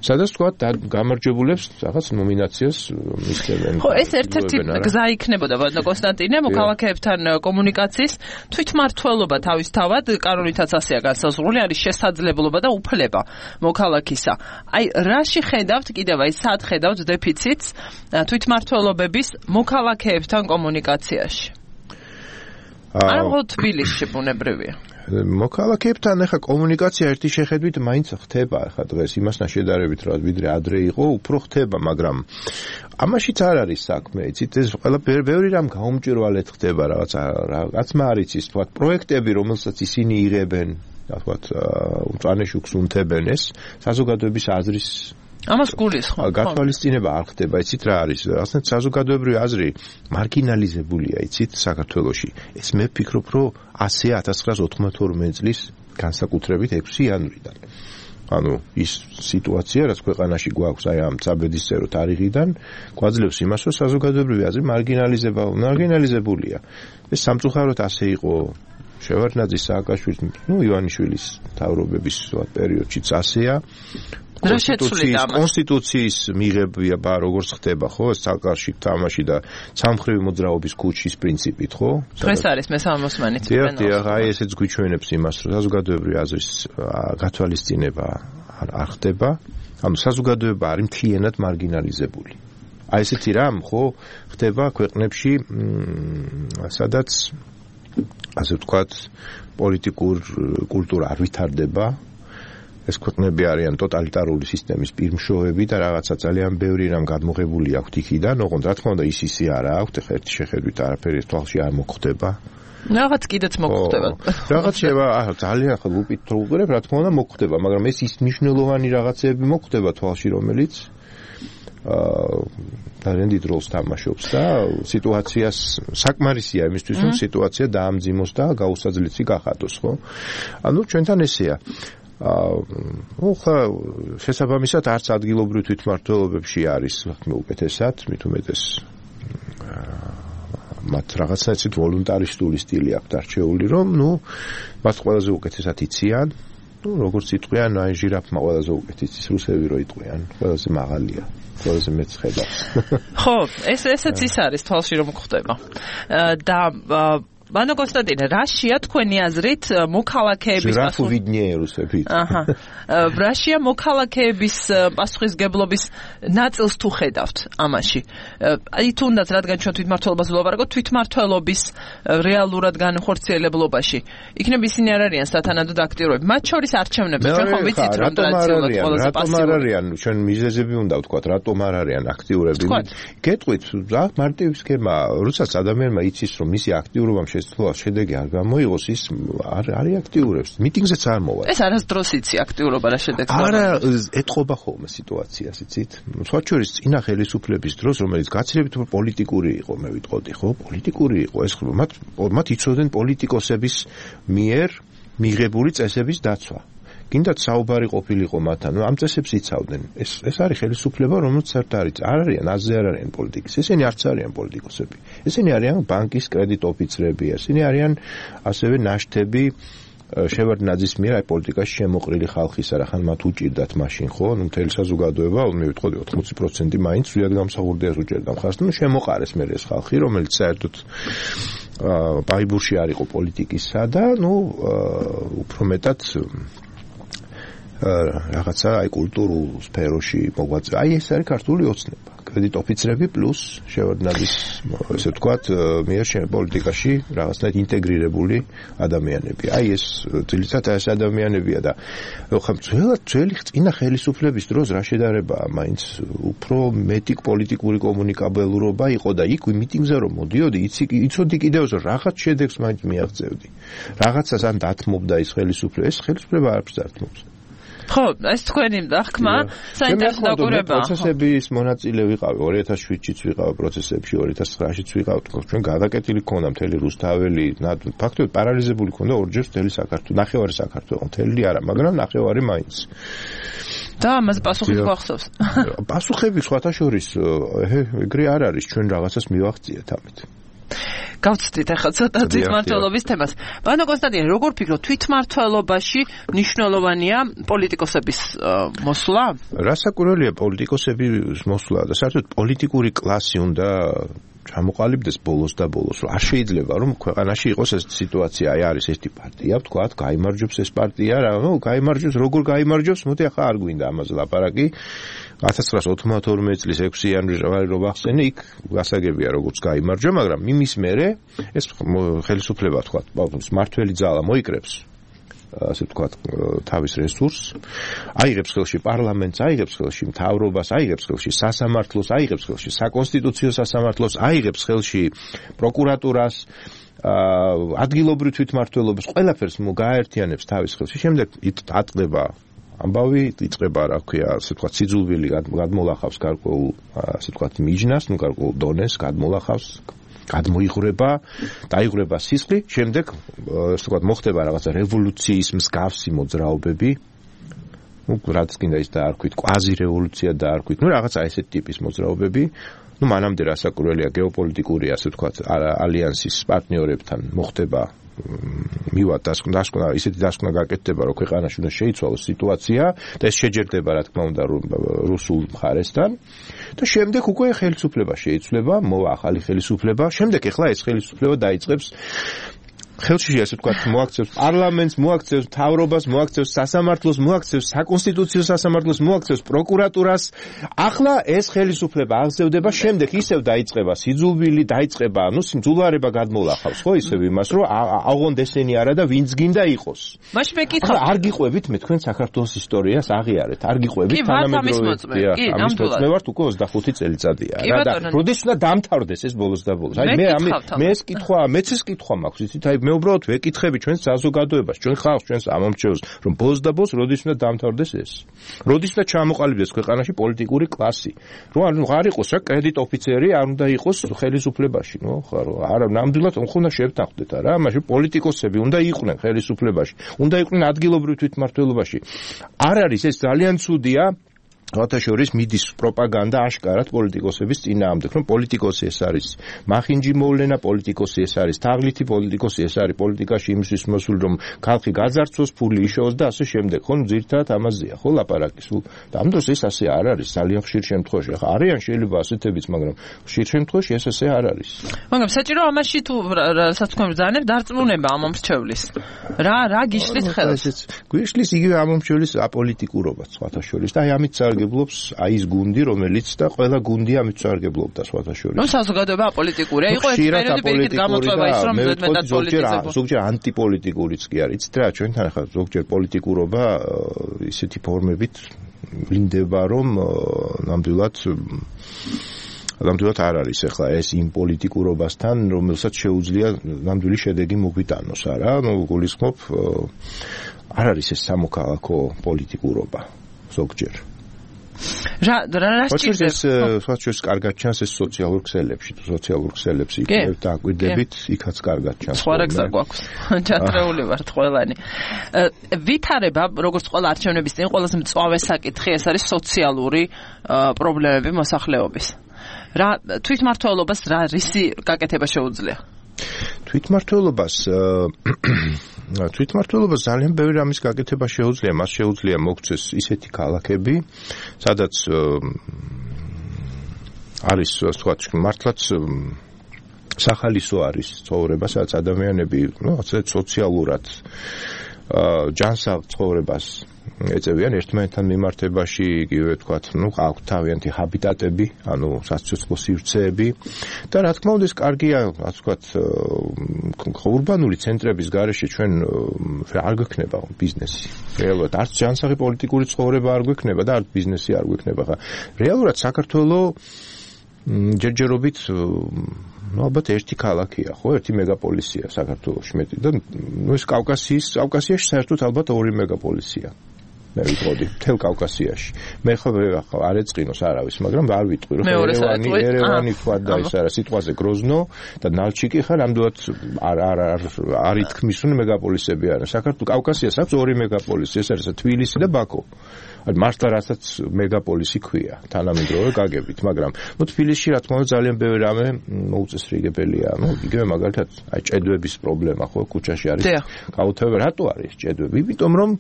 სადაც თქვა გამარჯვებულებს რაღაც ნომინაციას მისცემენ.
ხო, ეს ერთ-ერთი გზა იქნებოდა, ბატონო კონსტანტინე, მოქალაქეებთან კომუნიკაციის თვითმმართველობა თავისთავად კანონითაც ასეა განსაზღვრული, არის შესაძლებლობა და უფლება მოქალაქისა. აი, რაში ხედავთ კიდევ აი სად ხედავთ დეფიციტს თვითმმართველობების მოქალაქეებთან კომუნიკაციაში? არა მხოლოდ თბილისში ბუნებრივია.
მოქალაქეებთან ახლა კომუნიკაცია ერთი შეხედვით მაინც ხდება ახლა დღეს იმასთან შედარებით რა ვიდრე ადრე იყო უფრო ხდება მაგრამ ამაშიც არ არის საქმე იცით ეს ყველა ბევრი რამ გაუმჭირვალედ ხდება რაღაც მარიც ის თქვა პროექტები რომელსაც ისინი იღებენ თქვა მწვანე შუქს უნთებენ ეს საზოგადოების აზრის
ამას გulis ხო?
გათვალისწინება არ ხდება, იცით რა არის? ასეთ საზოგადოებრივი აზრი მარგინალიზებულია, იცით, საქართველოში. ეს მე ვფიქრობ, რომ 1992 წლის განსაკუთრებით 6 იანვრიდან. ანუ ის სიტუაცია, რაც ქვეყანაში გვაქვს აი ამ წაბედისწერო თარიღიდან, გვაძლევს იმას, რომ საზოგადოებრივი აზრი მარგინალიზებულია. ეს სამწუხაროდ ასე იყო შევარდნაძის, სააკაშვილის, ივანიშვილის თავრობების პერიოდშიც ასეა. კონსტიტუციის მიღება როგორც ხდება, ხო, საკარში თამაში და სამხრივი მოძრაობის კუჩის პრინციპით, ხო?
დღეს არის მესამე მოსმენით.
დიახ, აი ესეც გვიჩვენებს იმას, რომ საზოგადოებრივი აზრის გათვალისწინება არ ხდება, ანუ საზოგადოება არის მთლიანად მარგინალიზებული. აი ესეთი რამ, ხო, ხდება ქვეყნებში, სადაც ასე ვთქვათ, პოლიტიკურ კულტურა არ ვითარდება. ეს ქვეყნები არიან ტოტალიტარული სისტემის პირმშოვები და რაღაცა ძალიან ბევრი რამ გადმოღებული აქვთ იქიდან, ოღონდ რა თქმა უნდა ისე არა აქვთ, ხა ერთი შეხედვით არაფერი თვალში არ მოხდება.
რაღაც კიდეც მოხდება.
რაღაც ძალიან ხა ლუპით თუ უყურებ, რა თქმა უნდა მოხდება, მაგრამ ეს ის მნიშვნელოვანი რაღაცები მოხდება თვალში, რომელიც ძალიან დიდ როლს თამაშობს და სიტუაციას საკმარისია იმისთვის, რომ სიტუაცია დაამძიმოს და გაუსაძლისი გახადოს, ხო? ანუ ჩვენთან ესეა. ხა შესაბამისად არც ადგილობრივ თვითმმართველობებში არის უკეთესად, მით უმეტეს მათ რაღაცნაირად ვოლუნტარისტული სტილი აქვს არჩეული, რომ მათ ყველაზე უკეთესად იციან, როგორც იტყვიან, აი ჟირაფმა ყველაზე უკეთ იცის, რუსები რო იტყვიან, ყველაზე მაღალია. ყველაზე მეც ხედავს.
ხო, ესეც ის არის თვალში რომ ხდება. და ბანო კონსტანტინე, რაშია თქვენი აზრით მოქალაქეების რაშია მოქალაქეების პასუხისგებლობის ნაწილს თუ ხედავთ ამაში? აი თუნდაც რადგან ჩვენ თვითმმართველობას ვლაპარაკობთ, თვითმმართველობის რეალურად განხორციელებლობაში იქნებ ისინი არ არიან სათანადოდ აქტიურები. მათ შორის არჩევნებში ჩვენ ხომ ვიცით რომ ტრადიციულად ყველაზე პასიური
არიან, ჩვენ მიზეზები უნდა ვთქვათ, რატომ არ არიან აქტიურები. გეტყვით, რა მარტივი სქემა, როდესაც ადამიანმა იცის რომ მისი აქტიურობამ შედეგი არ გამოიღოს, ის არ აქტიურებს. მიტინგზეც არ მოვა.
ეს არასდროს იცი აქტიურობა რა შედეგს.
არა, ეთყობა ხოლმე სიტუაციას, იცით? სხვა შორის წინა ხელისუფლების დროს, რომელიც გაცილებით პოლიტიკური იყო, მე ვიტყოდი, ხო? პოლიტიკური იყო ეს, მათ იცოდნენ პოლიტიკოსების მიერ მიღებული წესების დაცვა. გინდათ საუბარი ყოფილიყო მათთან, ამ წესებს იცავდნენ. ეს არის ხელისუფლება, რომელიც არ არიან, აზზე არ არიან პოლიტიკის. ესენი არც არიან პოლიტიკოსები. ესენი არიან ბანკის კრედიტ ოფიცრები, ესენი არიან ასევე ნაშთები შევარდნაძის მიერ აი პოლიტიკაში შემოყრილი ხალხის, არახან მათ უჭირდათ მაშინ, ხო? მთელი საზოგადოება, მე ვიტყოდი 80% მაინც სრულად გამსახურდიას უჭერდა მხარს, შემოყარეს მე ეს ხალხი, რომელიც საერთოდ ბაიბურში არ იყო პოლიტიკისა და უფრო მეტად რაღაცა აი კულტურულ სფეროში მოღვაწე. აი ეს არის ქართული ოცნება. კრედიტ ოფიცრები პლუს შევარდნაძის, ესე ვთქვათ, მიერ პოლიტიკაში რაღაცნაირად ინტეგრირებული ადამიანები. აი ეს ძირითადად ეს ადამიანებია და ხომ ძველი წინა ხელისუფლების დროს რა შედარებაა, მაინც უფრო მეტი პოლიტიკური კომუნიკაბელურობა იყო და იქ მიტინგზე რომ მოდიოდი, იცოდი კიდევ რომ რაღაც შედეგს მაინც მიაღწევდი. რაღაცას ან დათმობდა ეს ხელისუფლება, ეს ხელისუფლება არ დათმობს.
ხო, ეს თქვენი დახმა საინტერესო დაკვირვებაა.
პროცესების მონაწილე ვიყავი 2007-ში ვიყავ პროცესებში, 2009-შიც ვიყავ, ჩვენ გადაკეტილი ქონდა მთელი რუსთაველი, ფაქტობრივად პარალიზებული ქონდა ორჯერ მთელი საქართველო, ნახევარი საქართველო, მთელი არა, მაგრამ ნახევარი მაინც.
და ამაზე პასუხი გვახსოვს.
პასუხები სხვათა შორის ეგრე არ არის, ჩვენ რაღაცას მივაღწიეთ ამით.
გავცდით ახლა ცოტა თვითმმართველობის თემას. ბანო კონსტანტინე, როგორ ფიქრობ, თვითმმართველობაში მნიშვნელოვანია პოლიტიკოსების მოსვლა?
რასაკვირველია პოლიტიკოსების მოსვლა და საერთოდ პოლიტიკური კლასი უნდა ჩამოყალიბდეს ბოლოს და ბოლოს. არ შეიძლება რომ ქვეყანაში იყოს ეს სიტუაცია, აი არის ერთი პარტია, ვთქვათ, გაიმარჯვებს ეს პარტია, გაიმარჯვებს, როგორ გაიმარჯვებს, მოდი ახლა არ გვინდა ამაზე ლაპარაკი. 1992 წლის 6 იანვარი რო ვახსენე, იქ გასაგებია როგორც გაიმარჯვა, მაგრამ იმის მერე ეს ხელისუფლება თქვა, მართველი ძალა მოიკრებს, ასე ვთქვათ, თავის რესურსს, აიღებს ხელში პარლამენტს, აიღებს ხელში მთავრობას, აიღებს ხელში სასამართლოს, აიღებს ხელში საკონსტიტუციო სასამართლოს, აიღებს ხელში პროკურატურას, ადგილობრივ თვითმმართველობას, ყველაფერს გააერთიანებს თავის ხელში. შემდეგ ატყდება ამბავი იწყება, რა ქვია, ასე ვთქვათ, სიძულვილი გადმოლახავს გარკვეულ, ასე ვთქვათ, მიჯნას, გარკვეულ დონეს გადმოლახავს, გადმოიღრება, დაიღრება სისხლი, შემდეგ, ასე ვთქვათ, მოხდება რაღაცა რევოლუციის მსგავსი მოძრაობები, რაც კიდე ის დაარქვით, კვაზი რევოლუცია დაარქვით, რაღაცა ესეთი ტიპის მოძრაობები, მანამდე რასაკურველია გეოპოლიტიკური, ასე ვთქვათ, ალიანსის პარტნიორებთან მოხდება ისეთი დასკვნა გაკეთდება, რომ ქვეყანაში უნდა შეიცვალოს სიტუაცია და ეს შეჯერდება, რა თქმა უნდა, რუსულ მხარესთან და შემდეგ უკვე ხელისუფლება შეიცვლება, მოვა ახალი ხელისუფლება, შემდეგ ეხლა ეს ხელისუფლება დაიწყებს ხელში ასე ვთქვათ, მოაქცევს პარლამენტს, მოაქცევს მთავრობას, მოაქცევს სასამართლოს, მოაქცევს საკონსტიტუციო სასამართლოს, მოაქცევს პროკურატურას. ახლა ეს ხელისუფლება აღზევდება, შემდეგ ისევ დაიწყება სიძულვილი, დაიწყება, სიმძულვარება გადმოლახავს, ხო, ისევ იმას, რომ აღონდ ესენი არა და ვინც გინდა იყოს.
მაშინ მეკითხა,
არ გიყვებით მე თქვენ საქართველოს ისტორიას აღიარეთ, არ გიყვებით თანამედროვე. ამის მოწმე ვართ უკვე 25 წელიწადია რა და როდის უნდა დამთავრდეს ეს ბოლოს და ბოლოს. აი მე ეს კითხვა, მეც ეს კითხვა მაქვს, იცით, აი მე უბრალოდ ვეკითხები ჩვენს საზოგადოებას, ჩვენ ხალხს, ჩვენს ამომრჩევლს, რომ ბოლოს და ბოლოს როდის უნდა დამთავრდეს ეს? როდის უნდა ჩამოყალიბდეს ქვეყანაში პოლიტიკური კლასი? რომ არ იყოს რა კრედიტ ოფიცერი, არ უნდა იყოს ხელისუფლებაში, არა, ნამდვილად უნდა შევთანხმდეთ რა, მაშინ პოლიტიკოსები უნდა იყვნენ ხელისუფლებაში, უნდა იყვნენ ადგილობრივ თვითმმართველობაში. არ არის ეს ძალიან ცუდია. Როთაშორის მიდის პროპაგანდა აშკარად პოლიტიკოსების წინააღმდეგ, რომ პოლიტიკოსი ეს არის მახინჯი მოვლენა, პოლიტიკოსი ეს არის თაღლითი, პოლიტიკოსი ეს არის პოლიტიკაში იმისთვის მოსული, რომ ხალხი გაძარცვოს, ფული იშოვოს და ასე შემდეგ. ხო, ძირითადად ამაზეა, ხო, ლაპარაკი. და ამ დროს ეს ასე არ არის, ძალიან ხშირ შემთხვევაში. ახლა არიან შეიძლება ასეთებიც, მაგრამ ხშირ შემთხვევაში ეს ასე არ არის.
მაგრამ საჭირო ამაში თუ რასაც თქვენ ბრძანებ, დარწმუნება ამომრჩევლის. რა გიშლით ხელს?
გვიშლის იგივე ამომრჩევლის აპოლიტიკურობაც, სხვათა შორის და აი ამით სარგებლობს აი ეს გუნდი, რომელიც და ყველა გუნდი ამით სარგებლობდა სხვათა შორის.
ნუ საზოგადოება აპოლიტიკურია, იყო ეს პერიოდი პირიქით გამოწვევა ის რომ მეტად პოლიტიზება.
ზოგჯერ ანტიპოლიტიკურიც კი არის. იცით რა, ჩვენთან ახლა ზოგჯერ პოლიტიკურობა ისეთი ფორმებით ვლინდება, რომ ნამდვილად არ არის ახლა ეს იმ პოლიტიკურობასთან, რომელსაც შეუძლია ნამდვილი შედეგი მოგვიტანოს, არა? გულისხმობ, არ არის ეს სამოქალაქო პოლიტიკურობა ზოგჯერ.
რა სჭირდება?
ეს კარგად ჩანს ეს სოციალურ ქსელებში, სოციალურ ქსელებს იქნებ დააკვირდებით, იქაც კარგად ჩანს.
სხვა რაგზა გვაქვს. ჩათრეული ვართ ყველანი. ვითარება, როგორც ყველა არჩევნების წინ, ყველაზე მწვავე საკითხი ეს არის სოციალური პრობლემები მოსახლეობის. რა თვითმმართველობას რა რისი გაკეთება შეუძლია?
თვითმმართველობას ძალიან ბევრი რამის გაკეთება შეუძლია, მას შეუძლია მოქცეს ისეთი ქალაქები, სადაც არის ვთქვათ, მართლაც სახალისო არის ცხოვრება, სადაც ადამიანები, ასე სოციალურად ჯანსაღ ცხოვრებას ეწევიან ერთმანეთთან მიმართებაში, იგივე ვთქვათ, აქვთ თავიანთი ჰაბიტატები, საცოცხლო სივრცეები და რა თქმა უნდა ეს კარგია, ასე ვთქვათ, ურბანული ცენტრების გარეშე ჩვენ არ გვექნება ბიზნესი. რეალურად არც ჯანსაღი პოლიტიკური ცხოვრება არ გვექნება და არც ბიზნესი არ გვექნება. რეალურად საქართველოს ჯერჯერობით ალბათ ერთი ქალაქია, ხო, ერთი მეგაპოლისია საქართველოში მეტი და ეს კავკასიაში საერთოდ ალბათ ორი მეგაპოლისია. მე ვიტყოდი მთელ კავკასიაში. მე ხო არ ეწყინოს არავის, მაგრამ არ ვიტყვი, რომ ერევანი თქვა და ის არა სიტყვაზე გროზნო და ნალჩიკი ხარ ამდენად არ ითქმის, რომ მეგაპოლისები არის. საქართველოს კავკასიას აქვს ორი მეგაპოლისი, ეს არის თბილისი და ბაქო. მართლა რასაც მეგაპოლისი ქვია, თანამედროვე გაგებით, მაგრამ თბილისში რა თქმა უნდა ძალიან ბევრი რამე მოუწესრიგებელია. იგივე მაგალითად, აი ჭედვების პრობლემა ხო ქუჩაში არის. გაუთავება, რატო არის ჭედვები? იმიტომ რომ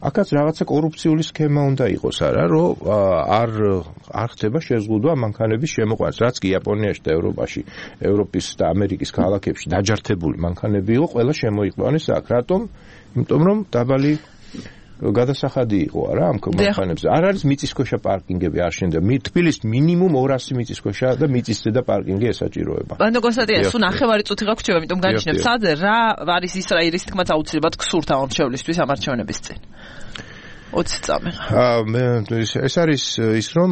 აქაც რაღაცა კორუფციული სქემა უნდა იყოს, არა, რომ არ ხდება შეზღუდვა მანქანების შემოყვანას, რაც კი იაპონიაში და ევროპაში, ევროპის და ამერიკის ქალაქებში დაჯართებული მანქანები იყო, ყველა შემოიყვანეს აქ. რატომ? იმიტომ რომ დაბალი გადასახადი იყო არა ამ მანქანებზე. არ არის მიწისქვეშა პარკინგები არ შენდა. თბილისს მინიმუმ 200 მიწისქვეშა და მიწისზედა პარკინგი ესაჭიროება.
ბანდო კონსტანტინე, სულ ნახევარი წუთი გაქვს ჩვენ, იმიტომ განიშნებ სადზე რა არის ის რის თქმაც აუცილებლად გსურთ ამომრჩევლისთვის ამ არჩევნების წინ. 20 წამი.
ეს არის ის რომ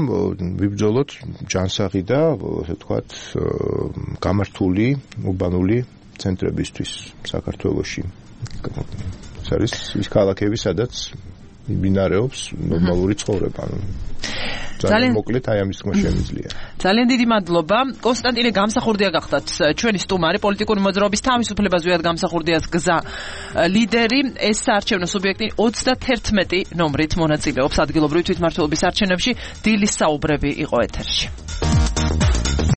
ვიბრძოლოთ ჯანსაღი და ასე ვთქვათ გამართული ურბანული ცენტრებისთვის საქართველოში. ეს არის ის ქალაქები, სადაც მიმდინარეობს ნორმალური ცხოვრება. ძალიან მოკლედ აი ამის თქმა შემიძლია.
ძალიან დიდი მადლობა. კონსტანტინე გამსახურდია გახდათ ჩვენი სტუმარი, პოლიტიკური მოძრაობის თავისუფლება ზვიად გამსახურდიას გზა ლიდერი. ეს საარჩევნო სუბიექტი 31 ნომრით მონაწილეობს ადგილობრივი თვითმმართველობის არჩევნებში. დილის საუბრები იყო ეთერში.